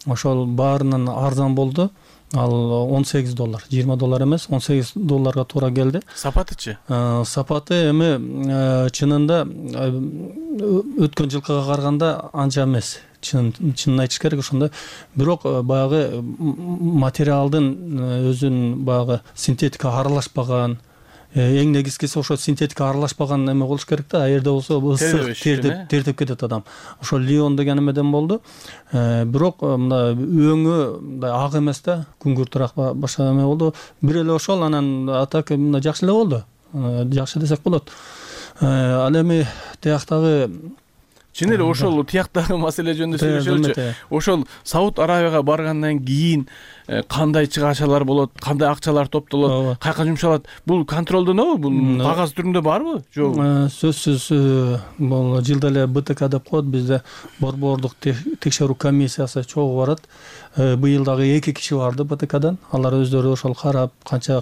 ошол баарынан арзан болду. Ал он сегиз доллар, жыйырма доллар эмес, он сегиз долларга туура келди. Сапатычы? Сапаты эми чынында өткөн жылкыга караганда анча эмес. Чынын айтыш керек ошондой. Бирок баягы материалдын өзүнүн баягы синтетика аралашпаган, эң негизгиси ошо синтетика аралашпаган эме болуш керек да. Аерде болсо ысык тертип тертип кетет адам. Ошо Лион деген эмеден болду. Бирок мындай өңү мындай ак эмес да, күңгүртүрөөк башка эме болду. Бир эле ошол, анан атак мындай жакшы эле болду. Жакшы десек болот. Ал эми тияктагы чын эле ошол тияктагы маселе жөнүндө сүйлөшөлүчү. Ошол Сауд Арабияга баргандан кийин кандай чыгачалар болот, кандай акчалар топтолот, кайка жумшалат? Бул контролдонобу? Бул кагаз түрүндө барбы? Жок. Сөзсүз бул жылда эле Б Т К деп коет, бизде борбордук текшерүү комиссиясы чогуу барат. Быйыл дагы эки киши барды Б Т Кдан. Алар өздөрү ошол карап, канча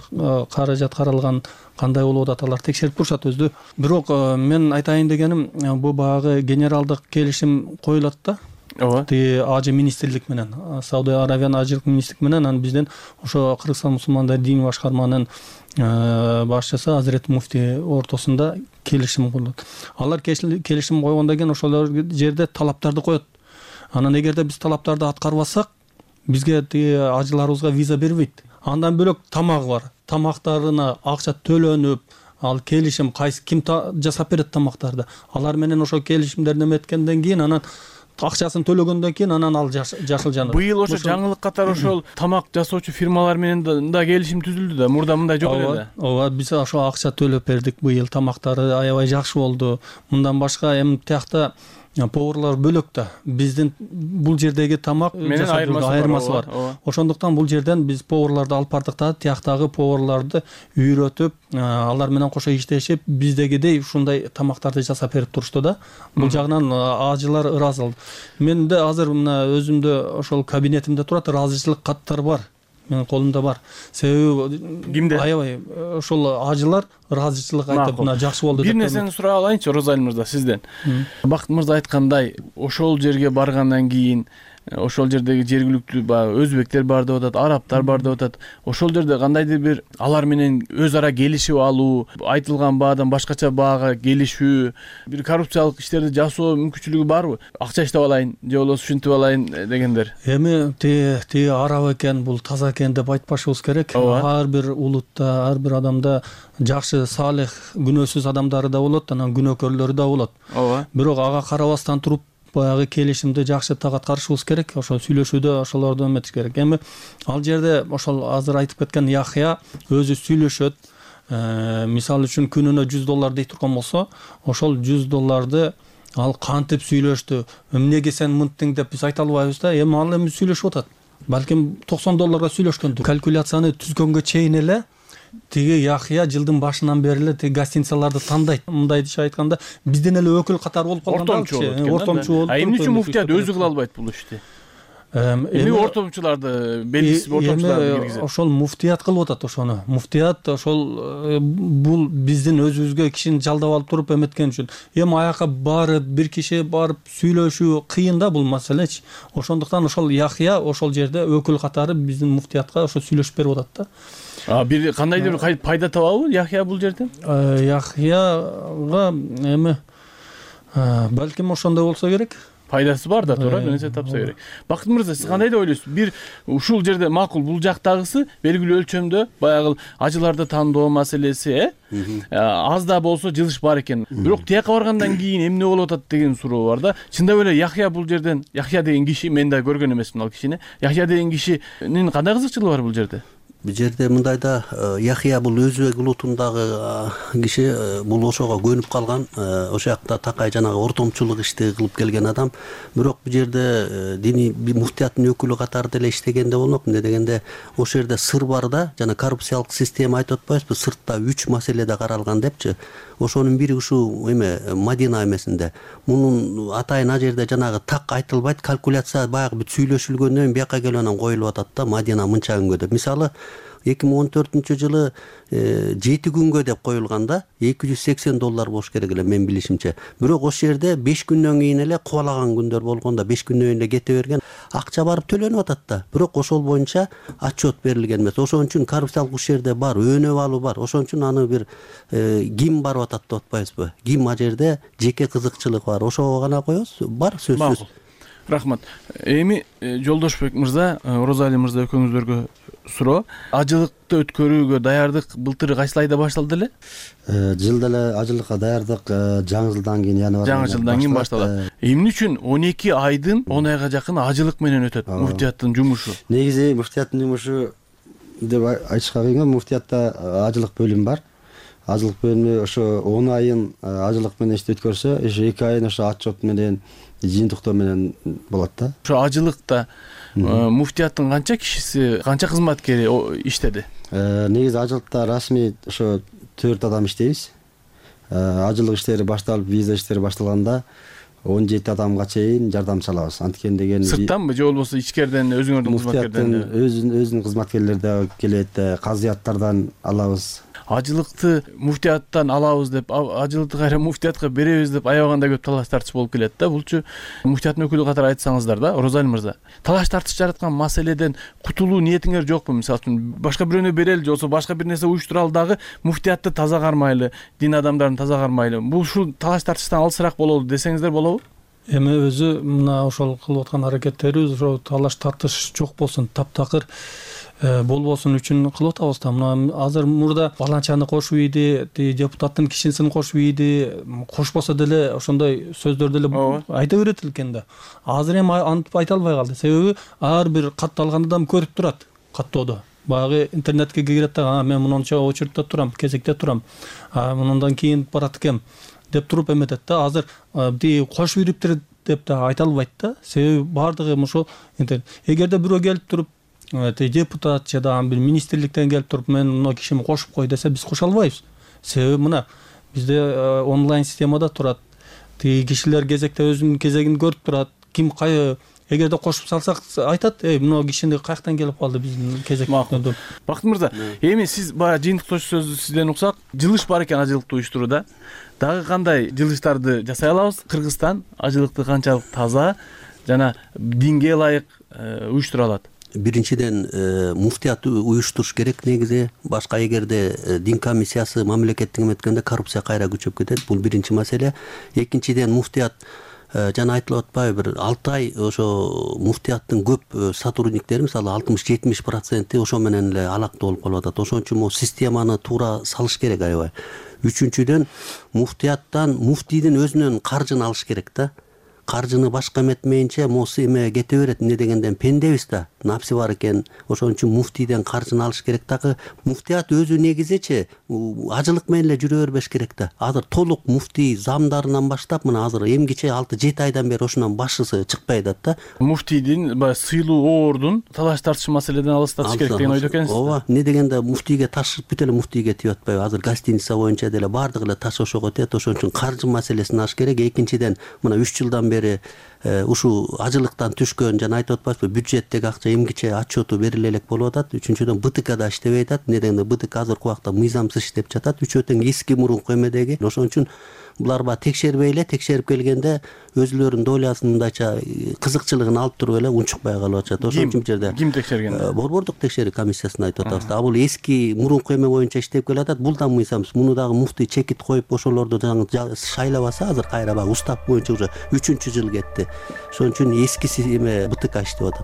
каражат каралган, кандай болуп атат алар текшерип турушат өзү. Бирок мен айтайын дегеним, бул баягы генералдык келишим коюлат да. Ооба. Тиги Ажы министрлик менен, Сауд Арабиянын ажылык министрлик менен, анан бизден ошо Кыргызстан мусулмандар дин башкарманын башчысы Азирет муфти ортосунда келишим коюлат. Алар келишим койгондон кийин ошол жерде талаптарды коет. Анан эгерде биз талаптарды аткарбасак, бизге тиги ажыларыбызга виза бербейт. Андан бөлөк тамагы бар. Тамактарына акча төлөнүп, ал келишим кайсы ким жасап берет тамактарды. Алар менен ошо келишимдерди эметкенден кийин анан акчасын төлөгөндөн кийин анан ал жашыл жаныр. Быйыл ошо жаңылык катары ошол тамак жасоочу фирмалар менен да келишим түзүлдү да. Мурда мындай жок эле да. Ооба, биз ошо акча төлөп бердик. Быйыл тамактары аябай жакшы болду. Мындан башка эми тиякта поварлар бөлөк да. Биздин бул жердеги тамак менен айырмасы бар. Ошондуктан бул жерден биз поварларды алып бардык да, тияктагы поварларды үйрөтүп, алар менен кошо иштешип, биздегидей ушундай тамактарды жасап берип турушту да. Бул жагынан ажылар ыраазы болду. Менде азыр мына өзүмдө ошол кабинетимде турат, ыраазычылык каттар бар. Менин колумда бар. Себеби кимде? Аябай ошол ажылар ыраазычылык айтып, мына жакшы болду деп. Бир нерсени сурап алайынчы, Розалия мырза, сизден. Бакыт мырза айткандай, ошол жерге баргандан кийин ошол жердеги жергиликтүү баягы өзбектер бар деп атат, арабтар бар деп атат. Ошол жерде кандайдыр бир алар менен өз ара келишип алуу, айтылган баадан башкача баага келишүү, бир коррупциялык иштерди жасоо мүмкүнчүлүгү барбы? Акча иштеп алайын же болбосо ушинтип алайын дегендер. Эми тиги араб экен, бул таза экен деп айтпашыбыз керек. Ар бир улутта, ар бир адамда жакшы, салих, күнөөсүз адамдары да болот, анан күнөөкөрлөрү да болот. Ооба. Бирок ага карабастан туруп баягы келишимди жакшы так аткарышыбыз керек. Ошол сүйлөшүүдө ошолорду эметиш керек. Эми ал жерде ошол азыр айтып кеткен Яхья өзү сүйлөшөт. Мисалы үчүн күнүнө жүз доллар дей турган болсо, ошол жүз долларды ал кантип сүйлөштү, эмнеге сен мынттың деп биз айта албайбыз да. Эми ал эми сүйлөшүп атат. Балким токсон долларга сүйлөшкөндүр. Калькуляцияны түзгөнгө чейин эле тиги Яхья жылдын башынан бери эле тиги гостиницаларды тандайт. Мындайча айтканда, бизден эле өкүл катары болуп калган. Ортомчу болуп. А эмне үчүн муфтият өзү кыла албайт бул ишти? Эми ортомчуларды, белгисиз ортомчуларды киргизет. Ошол муфтият кылып атат ошону. Муфтият ошол бул биздин өзүбүзгө кишини жалдап алып туруп эметкен үчүн. Эми аяка барып, бир киши барып сүйлөшүү кыйын да бул маселечи. Ошондуктан ошол Яхья ошол жерде өкүл катары биздин муфтиятка ошо сүйлөшүп берип атат да. А бир кандайдыр бир пайда табабы Яхья бул жерден? Яхьяга эми балким ошондой болсо керек. Пайдасы бар да, туура, менен тапса керек. Бакыт мырза, сиз кандай деп ойлойсуз? Бир ушул жерде макул, бул жактагысы белгилүү өлчөмдө баягы ажыларды тандоо маселеси, э? Аз да болсо жылыш бар экен. Бирок тияка баргандан кийин эмне болуп атат деген суроо бар да. Чындап эле Яхья бул жерден, Яхья деген киши, мен да көргөн эмесмин ал кишини. Яхья деген кишинин кандай кызыкчылыгы бар бул жерде? Бул жерде мындай да, Яхья бул өзбек улутундагы киши, бул ошого көнүп калган, ошол жакта такай жанагы ортомчулук ишти кылып келген адам. Бирок бул жерде диний муфтияттын өкүлү катары деле иштегенде болмок. Эмне дегенде, ошол жерде сыр бар да, жана коррупциялык система айтып атпайбызбы, сыртта үч маселеде каралган депчи. Ошонун бири ушул эме Мадина эмесинде. Мунун атайын а жерде жанагы так айтылбайт, калькуляция баягы бүт сүйлөшүлгөндөн бияка келип анан коюлуп атат да, Мадина мынча күнгө деп. Мисалы эки миң он төртүнчү жылы жети күнгө деп коюлганда эки жүз сексен доллар болуш керек эле мен билишимче. Бирок ошол жерде беш күндөн кийин эле кубалаган күндөр болгондо беш күндөн кийин эле кете берген. Акча барып төлөнүп атат да. Бирок ошол боюнча отчет берилген эмес. Ошон үчүн коррупциялык ушул жерде бар, өнөп алуу бар. Ошон үчүн аны бир ким барып атат деп атпайбызбы? Ким а жерде жеке кызыкчылык бар. Ошого гана коебуз. Бар сөзсүз. Рахмат. Эми Жолдошбек мырза, Розалия мырза экөөңүздөргө суроо. Ажылыкты өткөрүүгө даярдык былтыр кайсы айда башталды эле? Жылда эле ажылыкка даярдык жаңы жылдан кийин январь. Жаңы жылдан кийин башталат. Эмне үчүн он эки айдын он айга жакын ажылык менен өтөт муфтияттын жумушу? Негизи муфтияттын жумушу деп айтышка кыйын. Муфтиятта ажылык бөлүмү бар. Ажылык бөлүмү ошо он айын ажылык менен ишти өткөрсө, ошо эки айын ошо отчет менен, жыйынтыктоо менен болот да. Ошо ажылыкта муфтияттын канча кишиси, канча кызматкери иштеди? Негизи ажылыкта расмий ошо төрт адам иштейбиз. Ажылык иштери башталып, виза иштери башталганда он жети адамга чейин жардамчы алабыз. Анткен деген сырттанбы же болбосо ичкерден өзүңөрдүн кызматкерлерден? Өзүнүн өзүнүн кызматкерлери да келет, казыяттардан алабыз. ажылыкты муфтияттан алабыз деп, ажылыкты кайра муфтиятка беребиз деп аябаганда көп талаш тартыш болуп келет да. Булчу муфтияттын өкүлү катары айтсаңыздар да, Розалий мырза. Талаш тартыш жараткан маселеден кутулуу ниетиңер жокпу? Мисалы үчүн башка бирөөнө берели же болбосо башка бир нерсе уюштуралы дагы муфтиятты таза кармайлы, дин адамдарын таза кармайлы. Бул ушул талаш тартыштан алысыраак бололу десеңиздер болобу? Эми өзү мына ошол кылып аткан аракеттерибиз ошо талаш тартыш жок болсун, таптакыр болбосун үчүн кылып атабыз да. Мына азыр мурда баланчаны кошуп ийди, депутаттын кишинисин кошуп ийди, кошпосо деле ошондой сөздөр деле айта берет экен да. Азыр эми антип айта албай калды. Себеби ар бир катталган адам көрүп турат каттоодо. Баягы интернетке кирет да, мен мынча очередте турам, кезекте турам, мындан кийин барат экем деп туруп эметет да. Азыр ти кошуп ийриптир деп да айта албайт да. Себеби бардыгы ошо интернет. Эгерде бирөө келип туруп депутат же да бир министрликтен келип туруп мен мына кишими кошуп кой десе биз кошо албайбыз. Себеби мына бизде онлайн системада турат. Тиги кишилер кезекте өзүнүн кезегин көрүп турат. Ким кай эгерде кошуп салсак айтат, эй мына кишини каяктан келип калды биздин кезек. Бакыт мырза, эми сиз баягы жыйынтыктоочу сөздү сизден уксак, жылыш бар экен ажылыкты уюштурууда. Дагы кандай жылыштарды жасай алабыз? Кыргызстан ажылыкты канчалык таза жана динге ылайык уюштура алат? Биринчиден муфтият уюштуруш керек негизи. Башка эгерде дин комиссиясы мамлекеттик эметкенде коррупция кайра күчөп кетет. Бул биринчи маселе. Экинчиден муфтият жана айтылып атпайбы, бир алты ай ошо муфтияттын көп сотрудниктери, мисалы алтымыш жетимиш проценти ошо менен эле алакта болуп калып атат. Ошон үчүн могу системаны туура салыш керек аябай. Үчүнчүдөн муфтияттан муфтийдин өзүнөн каржын алыш керек да. Каржыны башка эметмейинче моусу эме кете берет. Эмне дегенден пендебиз да, напси бар экен. Ошон үчүн муфтийден каржын алыш керек дагы. Муфтият өзү негизичи ажылык менен эле жүрө бербеш керек да. Азыр толук муфтий замдарынан баштап мына азыр эмгиче алты жети айдан бери ошонун башчысы чыкпай атат да. Муфтийдин баягы сыйлуу оордун талаш тартыш маселеден алыстатыш керек деген ойдо экенсиз. Ооба, эмне дегенде муфтийге таш бүт эле муфтийге тип атпайбы. Азыр гостиница боюнча деле бардыгы эле таш ошого тиет. Ошон үчүн каржы маселесин аш керек. Экинчиден мына үч жылдан бери ушул ажылыктан түшкөн жана айтып атпайсызбы, бюджеттеги акча эмгиче отчету бериле элек болуп атат. Үчүнчүдөн БТК да иштебей атат. Эмне дегенде БТК азыркы убакта мыйзамсыз иштеп жатат. Үчөө тең эски мурунку эмедеги. Ошон үчүн булар ба текшербей эле, текшерип келгенде өзүлөрүнүн долясын мындайча кызыкчылыгын алып туруп эле унчукпай калып атышат. Ошон үчүн бу жерде ким текшерген? Борбордук текшерүү комиссиясын айтып атабыз. А бул эски мурунку эме боюнча иштеп келатат. Бул да мыйзамсыз. Муну дагы муфтий чекит коюп ошолорду шайлабаса, азыр кайра баягы устав боюнча уже үчүнчү жыл кетти. Ошон үчүн эскиси эме БТК иштеп атат.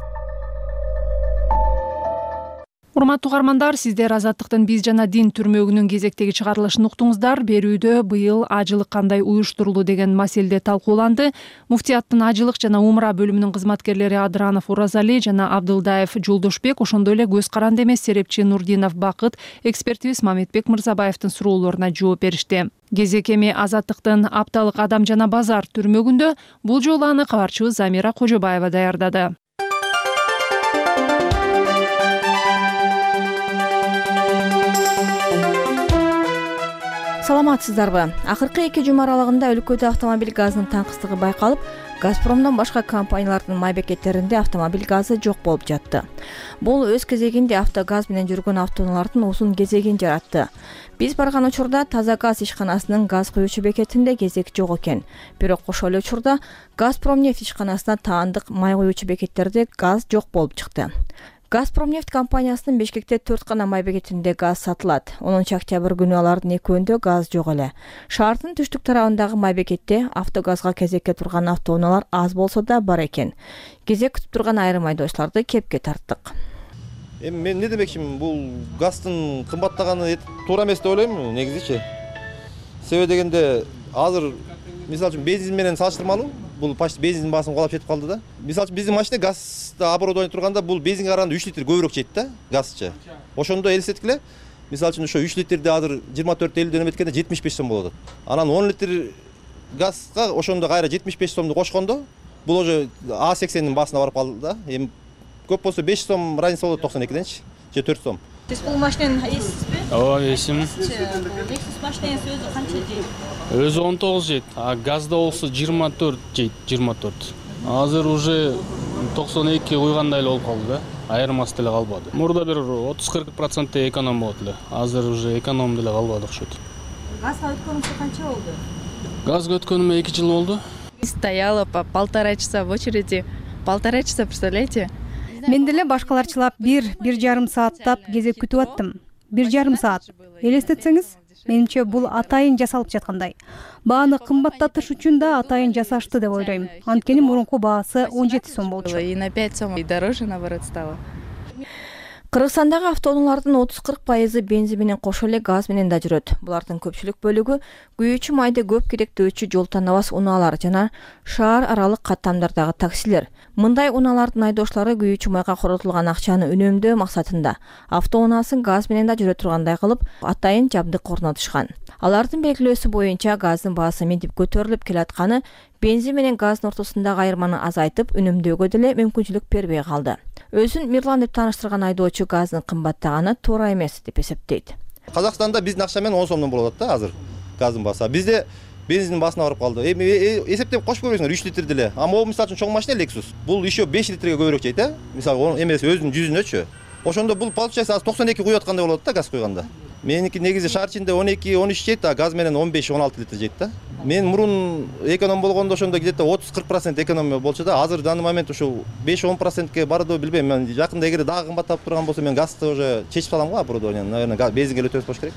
Урматтуу угармандар, сиздер Азаттыктын биз жана дин түрмөгүнүн кезектеги чыгарылышын уктуңуздар. Берүүдө быйыл ажылык кандай уюштурулду деген маселе талкууланды. Муфтияттын ажылык жана умра бөлүмүнүн кызматкерлери Адранов Уразали жана Абдылдаев Жолдошбек, ошондой эле көз каранды эмес серепчи Нурдинов Бакыт, экспертибиз Мамедбек Мырзабаевдин суроолоруна жооп беришти. Кезек эми Азаттыктын апталык адам жана базар түрмөгүндө. Бул жолу аны кабарчыбыз Замира Кожобаева даярдады. Саламатсыздарбы? Акыркы эки жума аралыгында өлкөдө автомобиль газынын таңкыстыгы байкалып, Газпромдон башка компаниялардын май бекеттеринде автомобиль газы жок болуп жатты. Бул өз кезегинде автогаз менен жүргөн автоунаалардын узун кезегин жаратты. Биз барган учурда таза газ ишканасынын газ куюучу бекетинде кезек жок экен. Бирок ошол эле учурда Газпромнефть ишканасына таандык май куюучу бекеттерде газ жок болуп чыкты. Газпромнефть компаниясынын Бишкекте төрт гана май бекетинде газ сатылат. онунчу октябрь күнү алардын экөөндө газ жок эле. Шаардын түштүк тарабындагы май бекетте автогазга кезекке турган автоунаалар аз болсо да бар экен. Кезек күтүп турган айрым айдоочуларды кепке тарттык. Эми мен эмне демекчимин, бул газдын кымбаттаганы туура эмес деп ойлойм негизичи. Себеби дегенде азыр мисалы үчүн бензин менен салыштырмалуу, бул почти бензиндин баасын кулап жетип калды да. Мисалы үчүн биздин машина газда оборудование турганда бул бензинге караганда үч литр көбүрөөк жейт да, газчы. Ошондо элестеткиле, мисалы үчүн ошо үч литрди азыр жыйырма төрт элүүдөн эметкенде жетимиш беш сом болот. Анан он литр газга ошондо кайра жетимиш беш сомду кошкондо, бул уже А сексендин баасына барып калды да. Эми көп болсо беш сом разница болот токсон экиденчи, же төрт сом. Сиз бул машинени эсизби? Ооба, эсим. Lexus машиненин өзү канча жейт? Өзү он тогуз жейт, а газда болсо жыйырма төрт жейт, жыйырма төрт. Азыр уже токсон эки куйгандай эле болуп калды да. айырмасы деле калбады. Мурда бир отуз кырк проценттей эконом болот эле. Азыр уже эконом деле калбады окшойт. Газга өткөнүңүзгө канча болду? Газга өткөнүмө эки жыл болду. Стояла по полтора часа в очереди. Полтора часа, представляете? Мен деле башкаларчылап бир бир жарым сааттап кезек күтүп аттым. Бир жарым саат. Элестетсеңиз, менимче бул атайын жасалып жаткандай. Бааны кымбаттатыш үчүн да атайын жасашты деп ойлойм. Анткени мурунку баасы он жети сом болчу. И на пять сом и дороже, наоборот, стало. Кыргызстандагы автоунаалардын отуз кырк пайызы бензин менен кошо эле газ менен да жүрөт. Булардын көпчүлүк бөлүгү күйүүчү майды көп керектөөчү жол танабас унаалар жана шаар аралык каттамдардагы таксилер. Мындай унаалардын айдоочулары күйүүчү майга коротулган акчаны үнөмдөө максатында автоунаасын газ менен да жүрө тургандай кылып, атайын жабдык орнотушкан. Алардын белгилөөсү боюнча газдын баасы ментип көтөрүлүп келатканы бензин менен газдын ортосундагы айырманы азайтып, үнөмдөөгө деле мүмкүнчүлүк бербей калды. Өзүн Мирлан деп тааныштырган айдоочу газдын кымбаттаганы туура эмес деп эсептейт. Казакстанда биздин акча менен он сомдон болот да азыр газдын баасы. Бизде бензиндин баасына барып калды. Эми эсептеп кошуп көрөсүңөр үч литр деле. А могу мисалы үчүн чоң машина Lexus. Бул еще беш литрге көбүрөөк жейт, э? Мисалы эмес өзүнүн жүзүнөчү. Ошондо бул получается азыр токсон эки куюп аткандай болот да газ куйганда. Меники негизи шаар ичинде он эки он үч жейт, а газ менен он беш он алты литр жейт да. Мен мурун эконом болгондо ошондо где-то отуз кырк процент экономия болчу да. Азыр данный момент ушул беш он процентке барды билбейм. Мен жакында эгер дагы кымбаттап турган болсо мен газды уже чечип салам го оборудование. Наверное, бензинге эле өтөбөз болуш керек.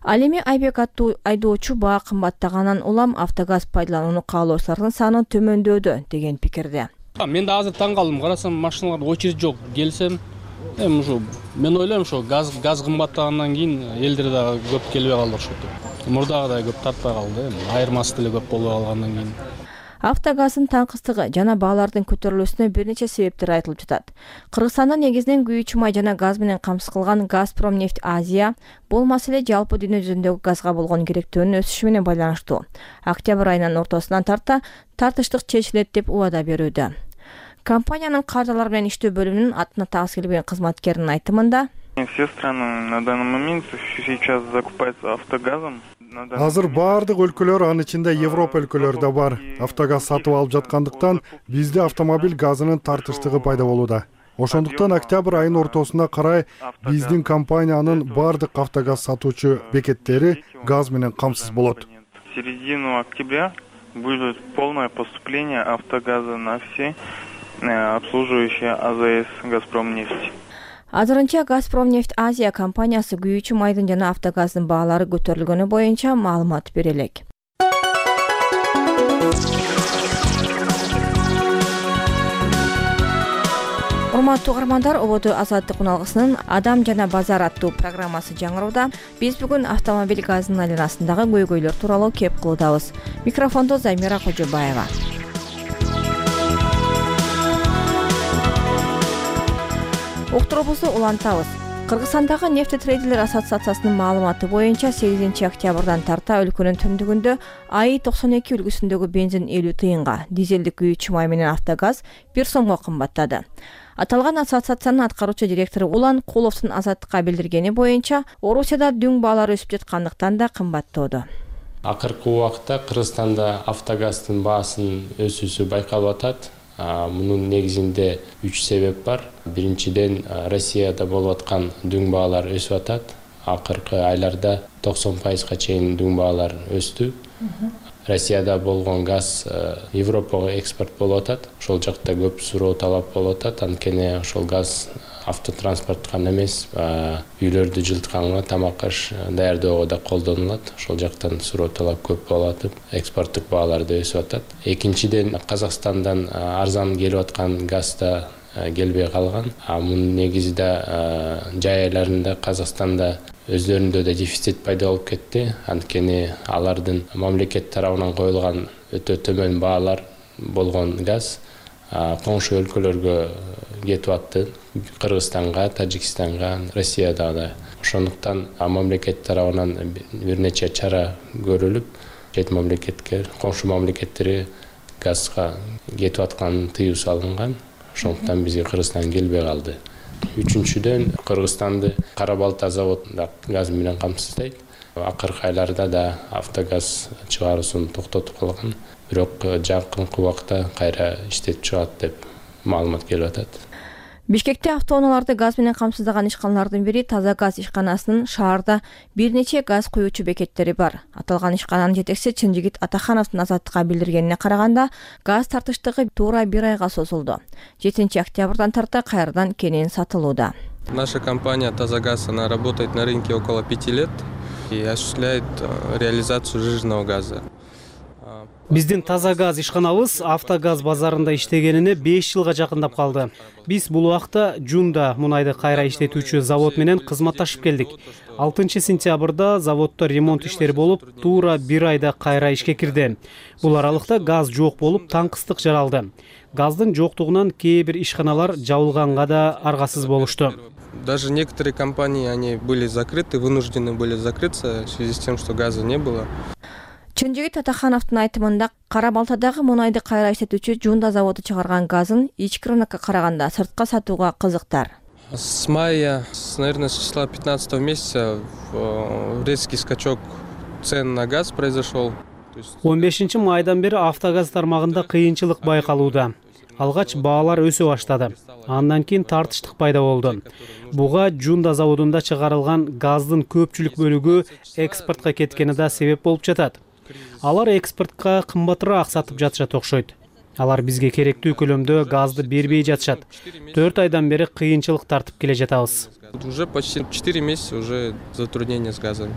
Ал эми Айбек аттуу айдоочу баа кымбаттагандан улам автогаз пайдаланууну каалоочулардын саны төмөндөдү деген пикирде. Мен да азыр таң калдым. Карасам машиналарда очередь жок. Келсем, эми ушу мен ойлойм ошо газ газ кымбаттагандан кийин элдер дагы көп келбей калды окшойт. Мурдагыдай көп тартпай калды, эми айырмасы деле көп болбой калгандан кийин. Автогаздын таңкыстыгы жана баалардын көтөрүлүүсүнө бир нече себептер айтылып жатат. Кыргызстанда негизинен күйүүчү май жана газ менен камсыз кылган Газпромнефть Азия бул маселе жалпы дүйнө жүзүндөгү газга болгон керектөөнүн өсүшү менен байланыштуу. Октябрь айынын ортосунан тарта тартыштык чечилет деп убада берүүдө. Компаниянын кардалар менен иштөө бөлүмүнүн атына тагыс келбеген кызматкеринин айтымында все страны на данный момент сейчас закупаются автогазом. Азыр баардык өлкөлөр, анын ичинде Европа өлкөлөрү да бар, автогаз сатып алып жаткандыктан бизде автомобиль газынын тартыштыгы пайда болууда. Ошондуктан октябрь айынын ортосуна карай биздин компаниянын баардык автогаз сатуучу бекеттери газ менен камсыз болот. В середину октября будет полное поступление автогаза на все обслуживающие АЗС Газпромнефть. Азырынча Газпромнефть Азия компаниясы күйүүчү майдын жана автогаздын баалары көтөрүлгөнү боюнча маалымат бере элек. Урматтуу угармандар, Ободо Азаттык уналгысынын Адам жана базар аттуу программасы жаңырууда. Биз бүгүн автомобиль газынын айланасындагы көйгөйлөр тууралуу кеп кылуудабыз. Микрофондо Замира Кожобаева. Уктуруубузду улантабыз. Кыргызстандагы нефтетрейдерлер ассоциациясынын маалыматы боюнча сегизинчи октябрдан тарта өлкөнүн түндүгүндө АИ токсон эки үлгүсүндөгү бензин элүү тыйынга, дизелдик күйүүчү май менен автогаз бир сомго кымбаттады. Аталган ассоциациянын аткаруучу директору Улан Куловдун Азаттыкка билдиргени боюнча, Орусияда дүң баалары өсүп жаткандыктан да кымбаттоодо. Акыркы убакта Кыргызстанда автогаздын баасынын өсүүсү байкалып атат. Мунун негизинде үч себеп бар. Биринчиден, Россияда болуп аткан дүң баалар өсүп атат. Акыркы айларда токсон пайызга чейин дүң баалар өстү. Россияда болгон газ Европага экспорт болуп атат. Ошол жакта көп суроо талап болуп атат. Анткени ошол газ автотранспорт гана эмес, үйлөрдү жылытканга, тамак аш даярдөөгө да колдонулат. Ошол жактан суроо талап көп болуп атып, экспорттук баалар да өсүп атат. Экинчиден, Казакстандан арзан келип аткан газ да келбей калган. Мунун негизи да жай айларында Казакстанда өздөрүндө да дефицит пайда болуп кетти. Анткени алардын мамлекет тарабынан коюлган өтө төмөн баалар болгон газ коңшу өлкөлөргө кетип атты. Кыргызстанга, Тажикстанга, Россияда да. Ошондуктан мамлекет тарабынан бир нече чара көрүлүп, чет мамлекетке, коңшу мамлекеттерге газга кетип атканын тыюу салынган. Ошондуктан бизге Кыргызстан келбей калды. Үчүнчүдөн, Кыргызстанды Кара Балта заводунда газ менен камсыздайт. Акыркы айларда да автогаз чыгаруусун токтотуп калган. Бирок жакынкы убакта кайра иштеп чыгат деп маалымат келип атат. Бишкекте автоунааларды газ менен камсыздаган ишканалардын бири Таза газ ишканасынын шаарда бир нече газ куюучу бекеттери бар. Аталган ишкананын жетекчиси Чынжигит Атахановдун Азаттыкка билдиргенине караганда, газ тартыштыгы туура бир айга созулду. жетинчи октябрдан тарта кайрадан кенен сатылууда. Наша компания Таза газ, она работает на рынке около пяти лет и осуществляет реализацию сжиженного газа. Биздин Таза газ ишканабыз Автогаз базарында иштегенине беш жылга жакындап калды. Биз бул убакта Жунда мунайды кайра иштетүүчү завод менен кызматташып келдик. алтынчы сентябрда заводдо ремонт иштери болуп, туура бир айда кайра ишке кирди. Бул аралыкта газ жок болуп, таңкыстык жаралды. Газдын жоктугунан кээ бир ишканалар жабылганга да аргасыз болушту. Даже некоторые компании, они были закрыты, вынуждены были закрыться в связи с тем, что газа не было. Чынжигит Атахановдун айтымында Кара Балтадагы мунайды кайра иштетүүчү Жунда заводу чыгарган газын ички рынокко караганда сыртка сатууга кызыктар. С мая, наверное, с числа пятнадцатого месяца резкий скачок цен на газ произошел. он бешинчи майдан бери Автогаз тармагында кыйынчылык байкалууда. Алгач баалар өсө баштады. Андан кийин тартыштык пайда болду. Буга Жунда заводунда чыгарылган газдын көпчүлүк бөлүгү экспортко кеткени да себеп болуп жатат. Алар экспортко кымбатыраак сатып жатышат окшойт. Алар бизге керектүү көлөмдө газды бербей жатышат. төрт айдан бери кыйынчылык тартып келе жатабыз. Уже почти четыре месяца уже затруднения с газом.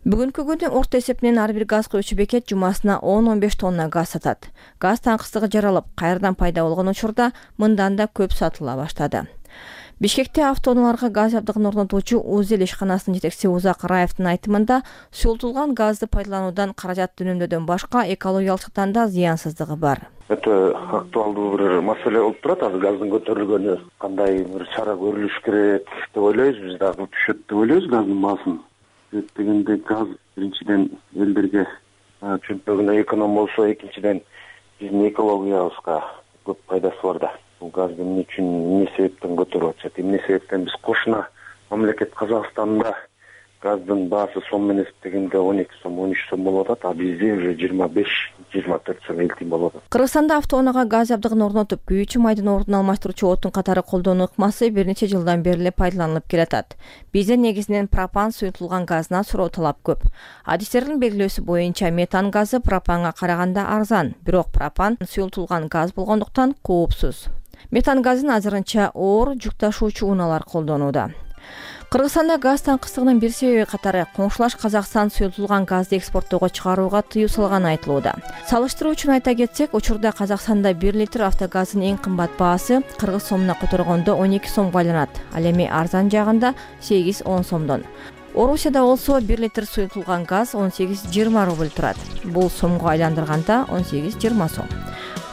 Бүгүнкү күндө орто эсепинен ар бир газ куюучу бекет жумасына он он беш тонна газ сатат. Газ таңкыстыгы жаралып, кайрадан пайда болгон учурда мындан да көп сатыла баштады. Бишкекте автоунааларга газ жабдыгын орнотуучу Узел ишканасынын жетекчиси Узак Раевдин айтымында, суюлтулган газды пайдалануудан каражат үнөмдөөдөн башка экологиялык жактан да зыянсыздыгы бар. Это актуалдуу бир маселе болуп турат. Азыр газдын көтөрүлгөнү кандай бир чара көрүлүш керек деп ойлойбуз. Биз дагы түшөт деп ойлойбуз газдын баасын. Дегенде газ биринчиден элдерге чөнтөгүнө эконом болсо, экинчиден биздин экологиябызга көп пайдасы бар да. Бул газды эмне үчүн, эмне себептен көтөрүп атышат? Эмне себептен биз кошуна мамлекет Казакстанда газдын баасы сом менен эсептегенде он эки сом, он үч сом болуп атат, а бизде уже жыйырма беш жыйырма төрт сом элтин болуп атат. Кыргызстанда автоунаага газ жабдыгын орнотуп, күйүүчү майдын ордун алмаштыруучу отун катары колдонуу ыкмасы бир нече жылдан бери эле пайдаланылып келатат. Бизде негизинен пропан суюлтулган газына суроо талап көп. Адистердин белгилөөсү боюнча метан газы пропанга караганда арзан, бирок пропан суюлтулган газ болгондуктан коопсуз. Метан газын азырынча оор жүк ташуучу унаалар колдонууда. Кыргызстанда газ таңкыстыгынын бир себеби катары коңшулаш Казакстан суюлтулган газды экспорттоого чыгарууга тыюу салганы айтылууда. Салыштыруу үчүн айта кетсек, учурда Казакстанда бир литр автогазынын эң кымбат баасы кыргыз сомуна которгондо он эки сомго айланат. Ал эми арзан жагында сегиз он сомдон. Орусияда болсо бир литр суюлтулган газ он сегиз жыйырма рубль турат. Бул сомго айландырганда он сегиз жыйырма сом.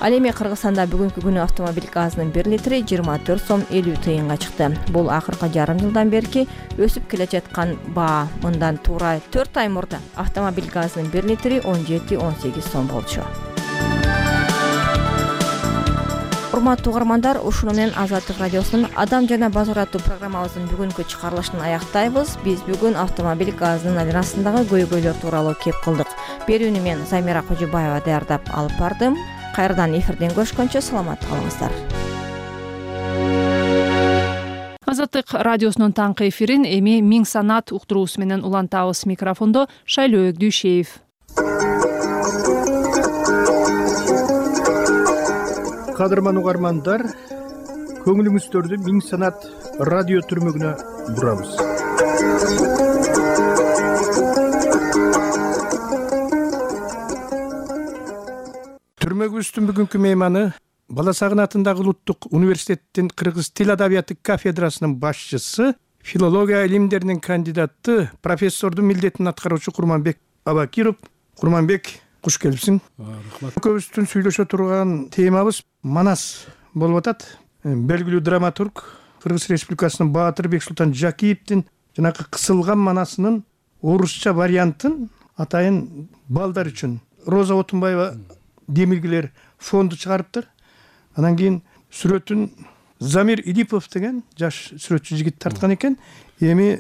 Ал эми Кыргызстанда бүгүнкү күнү автомобиль газынын бир литри жыйырма төрт сом элүү тыйынга чыкты. Бул акыркы жарым жылдан берки өсүп келе жаткан баа. Мындан туура төрт ай мурда автомобиль газынын бир литри он жети он сегиз сом болчу. Урматтуу угармандар, ушуну менен Азаттык радиосунун Адам жана базар аттуу программабыздын бүгүнкү чыгарылышын аяктайбыз. Биз бүгүн автомобиль газынын айланасындагы көйгөйлөр тууралуу кеп кылдык. Берүүнү мен Замира Кожобаева даярдап алып бардым. Кайрадан эфирден көрүшкөнчө саламат калыңыздар. Азаттык радиосунун таңкы эфирин эми Миң Санат уктуруусу менен улантабыз. Микрофондо Шайлоо Өгдүшеев. Кадырман угармандар, көңүлүңүздөрдү Миң Санат радио түрмөгүнө бурабыз. Түрмөгүбүздүн бүгүнкү мейманы Бала Сагын атындагы Улуттук университеттин кыргыз тил адабияты кафедрасынын башчысы, филология илимдеринин кандидаты, профессордун милдетин аткаруучу Курманбек Абакиров. Курманбек, куш келипсиң. Рахмат. Көбүбүздүн сүйлөшө турган темабыз Манас болуп атат. Белгилүү драматург, Кыргыз Республикасынын Баатыр Бексултан Жакиевдин жанакы кысылган манасынын орусча вариантын атайын балдар үчүн Роза Отунбаева Демилгилер фонду чыгарыптыр. Анан кийин сүрөтүн Замир Идипов деген жаш сүрөтчү жигит тарткан экен. Эми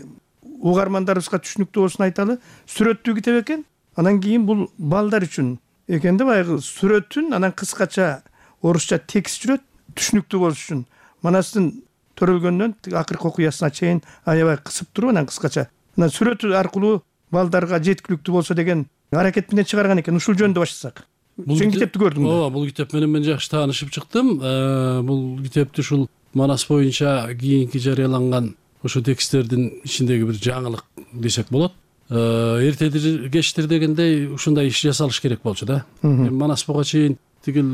угармандарыбызга түшүнүктүү болсун айталы. Сүрөттүү китеп экен. Анан кийин бул балдар үчүн экен да, баягы сүрөтүн анан кыскача орусча текст жүрөт, түшүнүктүү болуш үчүн. Манастын төрөлгөндөн акыркы окуясына чейин аябай кысып туруп анан кыскача анан сүрөт аркылуу балдарга жеткиликтүү болсо деген аракет менен чыгарган экен. Ушул жөнүндө баштасак. Сен китепти көрдүңбү? ооба, бул китеп менен мен жакшы таанышып чыктым. Бул китепти ушул Манас боюнча кийинки жарыяланган ошо тексттердин ичиндеги бир жаңылык десек болот. Эртедир кечтир дегендей ушундай иш жасалыш керек болчу да. Манас буга чейин тигил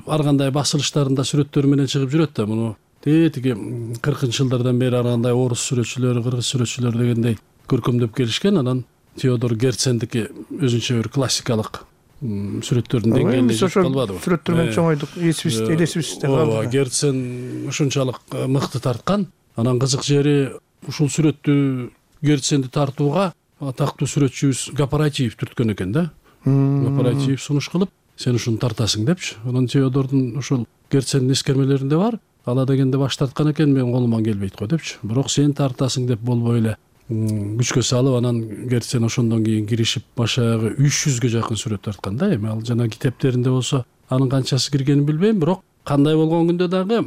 ар кандай басылыштарында сүрөттөр менен чыгып жүрөт да. Муну тиги кыркынчы жылдардан бери ар кандай орус сүрөтчүлөрү, кыргыз сүрөтчүлөрү дегендей көркөмдөп келишкен. Анан Теодор Герцендики өзүнчө бир классикалык сүрөттөрдүн деңгээлине жетип калбадыбы? Сүрөттөр менен чоңойдук, эсибизде, элесибизде калды. Ооба, Герцен ушунчалык мыкты тарткан. Анан кызык жери ушул сүрөттү Герценди тартууга атактуу сүрөтчүбүз Гапаратиев түрткөн экен да. Гапаратиев сунуш кылып, сен ушуну тартасың депчи. Анан Теодордун ушул Герцендин эскермелеринде бар. Ала дегенде баш тарткан экен, мен колуман келбейт го депчи. Бирок сен тартасың деп болбой эле күчкө салып, анан Герцен ошондон кийин киришип башагы үч жүзгө жакын сүрөт тарткан да. Эми ал жана китептеринде болсо анын канчасы киргенин билбейм, бирок кандай болгон күндө дагы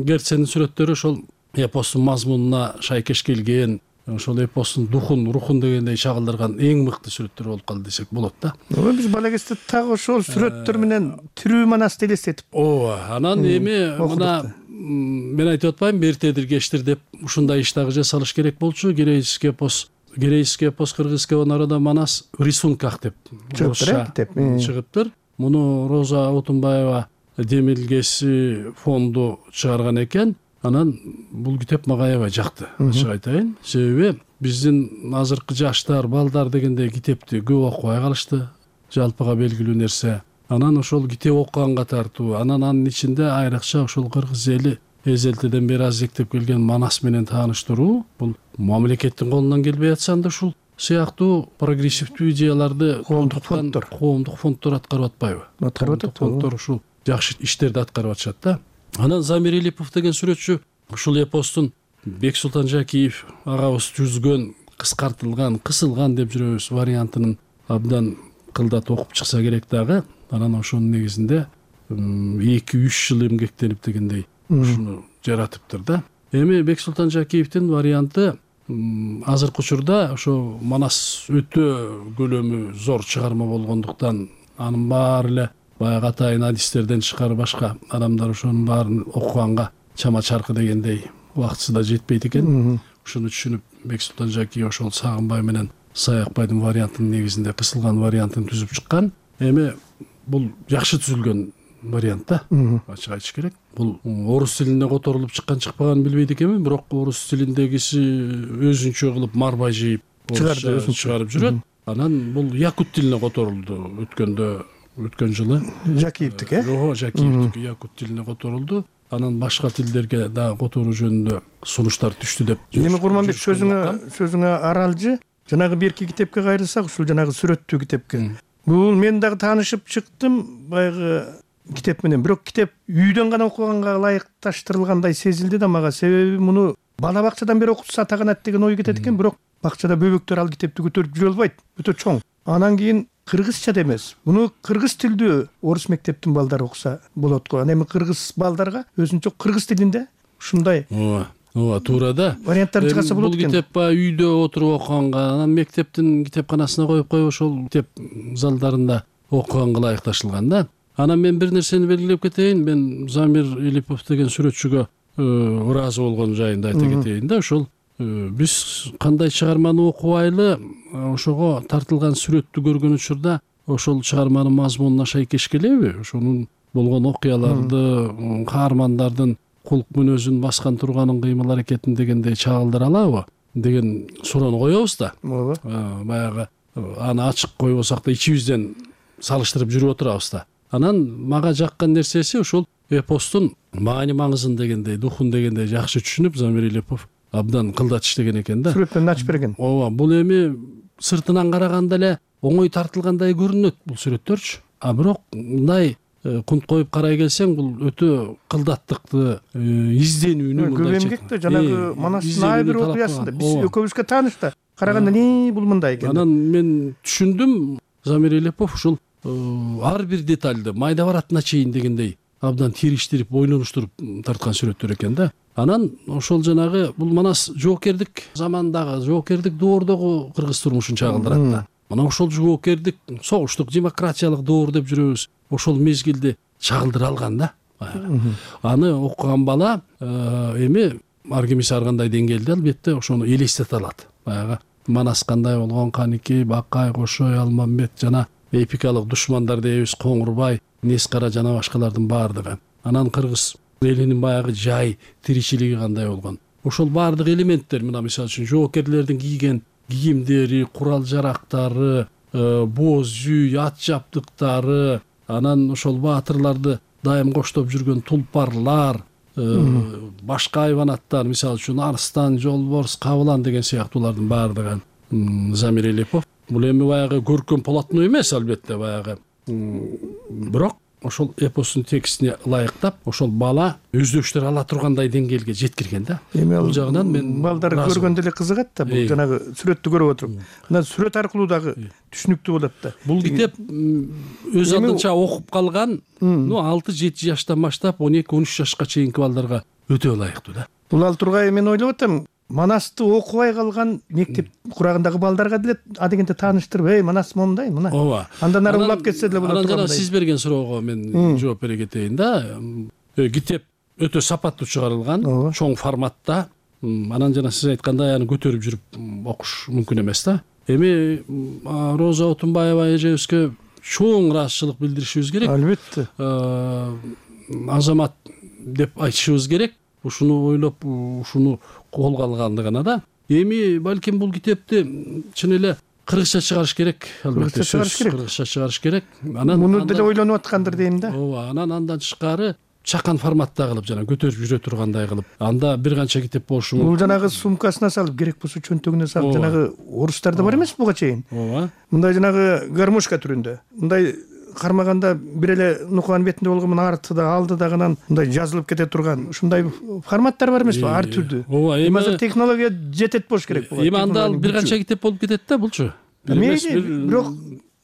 Герцендин сүрөттөрү ошол эпостун мазмунуна шайкеш келген, ошол эпостун духун, рухун дегендей чагылдырган эң мыкты сүрөттөр болуп калды десек болот да. Ооба, биз бала кезде так ошол сүрөттөр менен тирүү Манасты элестетип. Ооба, анан эми мына мен айтып атпайм, эртедир кечтир деп ушундай иш дагы жасалыш керек болчу. Герейский эпос, Герейский эпос кыргызского народа Манас в рисунках деп чыгыптыр. Муну Роза Отунбаева демилгеси фонду чыгарган экен. Анан бул китеп мага аябай жакты, ачык айтайын. Себеби биздин азыркы жаштар, балдар дегенде китепти көп окубай калышты. Жалпыга белгилүү нерсе. Анан ошол китеп окуганга тартуу, анан анын ичинде айрыкча ошол кыргыз эли эзелтеден бери азектеп келген Манас менен тааныштыруу, бул мамлекеттин колунан келбей атса да ушул сыяктуу прогрессивдүү идеяларды коомдук фонддор, коомдук фонддор аткарып атпайбы? Аткарып атат. Фонддор ушул жакшы иштерди аткарып атышат да. Анан Замир Илипов деген сүрөтчү ушул эпостун Бексултан Жакиев агабыз түзгөн, кыскартылган, кысылган деп жүрөбүз вариантынын абдан кылдат окуп чыкса керек дагы. Анан ошонун негизинде эки үч жыл эмгектенип дегендей ушуну жаратыптыр да. Эми Бексултан Жакиевдин варианты азыркы учурда ошо Манас өтө көлөмү зор чыгарма болгондуктан анын баары эле баягы атайын адистерден тышкары башка адамдар ошонун баарын окуганга чама чаркы дегендей убактысы да жетпейт экен. Ушуну түшүнүп Бексултан Жакиев ошол Сагынбай менен Саякбайдын вариантынын негизинде кысылган вариантын түзүп чыккан. Эми бул жакшы түзүлгөн вариант да, ачык айтыш керек. Бул орус тилине которулуп чыккан чыкпаганын билбейт экенмин, бирок орус тилиндегиси өзүнчө кылып марбай жыйып чыгарып жүрөт. Анан бул якут тилине которулду өткөндө, өткөн жылы. Жакиевдики, э? Ооба, Жакиевдики якут тилине которулду. Анан башка тилдерге да которуу жөнүндө сунуштар түштү деп. Эми Курманбек, сөзүңө сөзүңө аралжы, жанагы берки китепке кайрылсак, ушул жанагы сүрөттүү китепке. Бул мен дагы таанышып чыктым баягы китеп менен. Бирок китеп үйдөн гана окуганга ылайыкташтырылгандай сезилди да мага. Себеби муну бала бакчадан бери окутса таганат деген ой кетет экен, бирок бакчада бөбөктөр ал китепти көтөрүп жүрө албайт, өтө чоң. Анан кийин кыргызча да эмес. Муну кыргыз тилдүү орус мектептин балдары окуса болот го. Анан эми кыргыз балдарга өзүнчө кыргыз тилинде ушундай ооба, ооба, туура да. Варианттар чыгаса болот экен. Бул китеп баягы үйдө отуруп окуганга, анан мектептин китепканасына коюп коюп ошол китеп залдарында окуганга ылайыкташылган да. Анан мен бир нерсени белгилеп кетейин. Мен Замир Илипов деген сүрөтчүгө ыраазы болгон жайында айта кетейин да. Ошол биз кандай чыгарманы окубайлы, ошого тартылган сүрөттү көргөн учурда ошол чыгарманын мазмунуна шайкеш келеби? Ошонун болгон окуяларды, каармандардын кулк мүнөзүн баскан турганын кыймыл аракетин дегендей чагылдыра алабы деген суроону коебуз да. Ооба. Баягы аны ачык койбосок да ичибизден салыштырып жүрүп отурабыз да. Анан мага жаккан нерсеси ошол эпостун маани маңызын дегендей, духун дегендей жакшы түшүнүп, Замир Илипов абдан кылдат иштеген экен да. Сүрөттөн ачып берген. Ооба, бул эми сыртынан караганда эле оңой тартылгандай көрүнөт бул сүрөттөрчү. А бирок мындай кунт коюп карай келсең, бул өтө кылдаттыкты, изденүүнү, көп эмгекте жанагы Манастын ар бир окуясында биз экөөбүзгө тааныш да. Караганда не бул мындай экен. Анан мен түшүндүм, Замир Илипов ушул ар бир детальды майда баратына чейин дегендей абдан териштирип, ойлонуштуруп тарткан сүрөттөр экен да. анан ошол жанагы бул манас жоокердик замандагы жоокердик доордогу кыргыз турмушун чагылдырат да. Мына ошол жоокердик согуштук демократиялык доор деп жүрөбүз, ошол мезгилди чагылдыра алган да. Аны окуган бала эми ар кимиси ар кандай деңгээлде албетте ошону элестете алат. Баягы манас кандай болгон, Каники, Бакай, Кошой, Алмамбет жана эпикалык душмандар дейбиз, Коңурбай, Нескара жана башкалардын баардыгы. Анан кыргыз элинин баягы жай тиричилиги кандай болгон. Ошол баардык элементтер, мына мисалы үчүн жоокерлердин кийген кийимдери, курал жарактары, боз жүй, ат жабдыктары, анан ошол баатырларды дайым коштоп жүргөн тулпарлар, башка айванаттар, мисалы үчүн Арстан, Жолборс, Кабылан деген сыяктуулардын баардыгы Замир Элепов. Бул эми баягы көркөм полотно эмес албетте баягы. Бирок ошол эпостун текстине ылайыктап, ошол бала өздөштөр ала тургандай деңгээлге жеткирген да. Эми бул жагынан мен балдар көргөндө эле кызыгат да, бул жанагы сүрөттү көрүп отуруп. Анан сүрөт аркылуу дагы түшүнүктүү болот да. Бул китеп өз алдынча окуп калган, ну алты жети жаштан баштап он эки он үч жашка чейинки балдарга өтө ылайыктуу да. Бул ал тургай мен ойлоп атам, Манасты окубай калган мектеп курагындагы балдарга деле адегенде тааныштырып, эй, Манас момундай, мына. Ооба. Андан ары улап кетсе деле болот. Анан жана сиз берген суроого мен жооп бере кетейин да. Китеп өтө сапаттуу чыгарылган, чоң форматта. Анан жана сиз айткандай аны көтөрүп жүрүп окуш мүмкүн эмес да. Эми Роза Отунбаева эжебизге чоң ыраазычылык билдиришибиз керек. Албетте. Азамат деп айтышыбыз керек. Ушуну ойлоп, ушуну колго алгандыгына да. Эми балким бул китепти чын эле кыргызча чыгарыш керек, албетте. Кыргызча чыгарыш керек. Кыргызча чыгарыш керек. Анан муну деле ойлонуп аткандыр дейм да. Ооба, анан андан тышкары чакан форматта кылып жана көтөрүп жүрө тургандай кылып, анда бир канча китеп болушу мүмкүн. Бул жанагы сумкасына салып, керек болсо чөнтөгүнө салып, жанагы орустарда бар эмес буга чейин. Ооба. Мындай жанагы гармошка түрүндө. Мындай кармаганда бир эле нуканын бетинде болгон артыда, алдыда гана мындай жазылып кете турган ушундай форматтар бар эмеспи, ар түрдүү. Ооба, эми азыр технология жетет болуш керек буга. Эми анда бир канча китеп болуп кетет да булчу. Мейли, бирок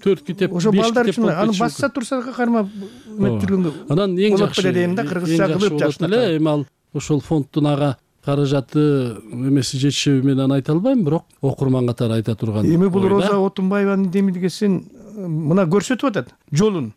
төрт китеп, ошо балдар үчүн аны басса турса кармап жүргөнгө. Анан эң жакшы болот дейм да, кыргызча кылып жакшы эле. Эми ал ошол фонддун ага каражаты эмеси жетишеби мен аны айта албайм, бирок окурман катары айта турган. Эми бул Роза Отунбаеванын демилгесин мына көрсөтүп атат, жолун.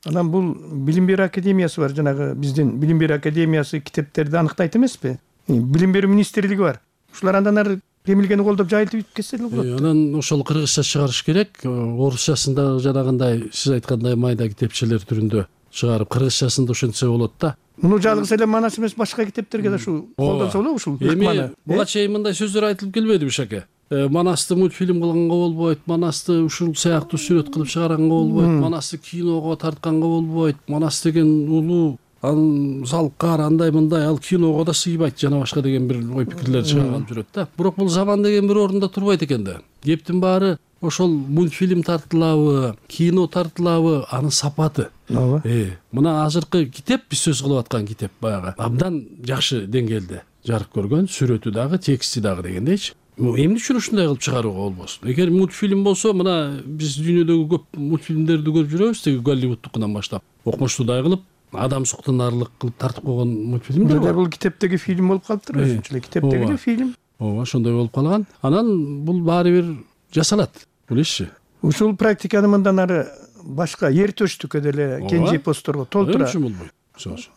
Анан бул Билим берүү академиясы бар, жанагы биздин Билим берүү академиясы китептерди аныктайт эмеспи? Билим берүү министрлиги бар. Ушулар андан ары демилгени колдоп жайылтып кетсе эле болот. Анан ошол кыргызча чыгарыш керек. Орусчасында жанагындай сиз айткандай майда китепчелер түрүндө чыгарып, кыргызчасында ошентсе болот да. Муну жалгыз эле Манас эмес, башка китептерге да ушу колдонсо болобу ушул? Эми буга чейин мындай сөздөр айтылып келбеди Бишаке? Манасты мультфильм кылганга болбойт, Манасты ушул сыяктуу сүрөт кылып чыгаранга болбойт, Манасты киного тартканга болбойт, Манас деген улуу, ал залкар, андай мындай, ал киного да сыйбайт жана башка деген бир ой пикирлер чыгарып жүрөт да. Бирок бул заман деген бир орунда турбайт экен да. Кептин баары ошол мультфильм тартылабы, кино тартылабы, анын сапаты. Ооба. Э, мына азыркы китеп, биз сөз кылып аткан китеп баягы абдан жакшы деңгээлде жарык көргөн, сүрөтү дагы, тексти дагы дегендейчи. Эмне үчүн ушундай кылып чыгарууга болбосун? Эгер мультфильм болсо, мына биз дүйнөдөгү көп мультфильмдерди көрүп жүрөбүз, теги Голливудтукунан баштап, окмуштуудай кылып, адам суктанарлык кылып тартып койгон мультфильмдер бар. Бул китептеги фильм болуп калыптыр, өзүнчө эле китептеги эле фильм. Ооба, ошондой болуп калган. Анан бул баары бир жасалат, билесизби? Ушул практиканы мындан ары башка Эртөштүккө деле, Кенже эпосторго толтура. Эмне үчүн болбойт?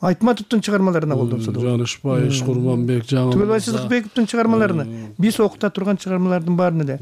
Айтматовдун чыгармаларына колдонсо да. Жанышбай, Курманбек, Жаңыл. Түгөлбай Сыздыкбековдун чыгармаларына, биз окута турган чыгармалардын баарын эле.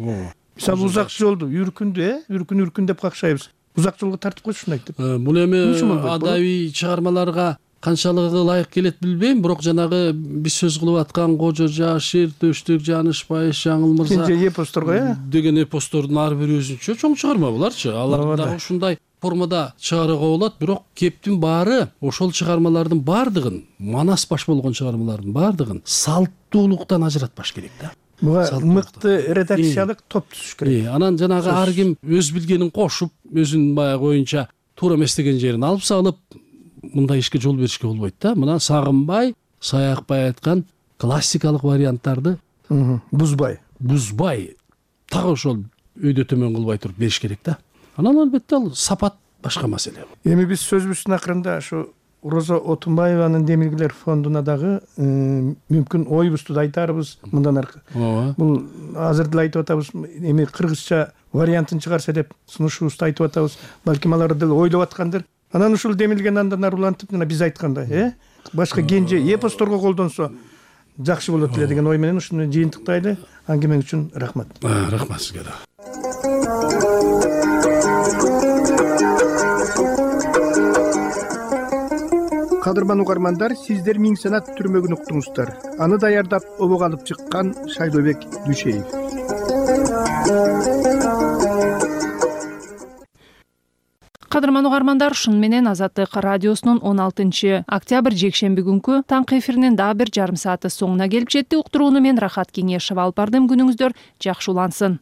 Мисалы узак жолду, үркүндү, э, үркүн үркүн деп какшайбыз. Узак жолго тартып койсун айтып. Бул эми адабий чыгармаларга канчалыгы ылайык келет билбейм, бирок жанагы биз сөз кылып аткан Кожо Жаш, Эртөштүк, Жанышбай, Жаңыл мырза Кенже эпосторго, э, деген эпостордун ар бири өзүнчө чоң чыгарма буларчы. Аларды да ушундай формада чыгарууга болот, бирок кептин баары ошол чыгармалардын баардыгын, Манас баш болгон чыгармалардын баардыгын салттуулуктан ажыратпаш керек да. Буга мыкты редакциялык топ түзүш керек. Анан жанагы ар ким өз билгенин кошуп, өзүнүн баягы оюнча туура эмес деген жерин алып салып, мындай ишке жол беришке болбойт да. Мына Сагынбай, Саякбай айткан классикалык варианттарды бузбай, бузбай, так ошол өйдө төмөн кылбай туруп бериш керек да. Анан албетте ал сапат башка маселе. Эми биз сөзүбүздүн акырында ушу Роза Отунбаеванын Демиргилер фондуна дагы мүмкүн оюбузду да айтарбыз мындан аркы. Ооба. Бул азыр деле айтып атабыз, эми кыргызча вариантын чыгарса деп сунушубузду айтып атабыз. Балким алар деле ойлоп аткандыр. Анан ушул демилген андан ары улантып, мына биз айткандай, э? Башка кенже эпосторго колдонсо жакшы болот эле деген ой менен ушуну жыйынтыктайлы. Аңгемең үчүн рахмат. Рахмат сизге да. Кадырман угармандар, сиздер Миң санат түрмөгүн уктуңуздар. Аны даярдап обого алып чыккан Шайлообек Дүйшеев. Кадырман угармандар, ушун менен Азаттык радиосунун он алтынчы октябрь жекшемби күнкү таңкы эфиринин дагы бир жарым сааты соңуна келип жетти. Уктурууну мен Рахат Кеңешева алып бардым. Күнүңүздөр жакшы улансын.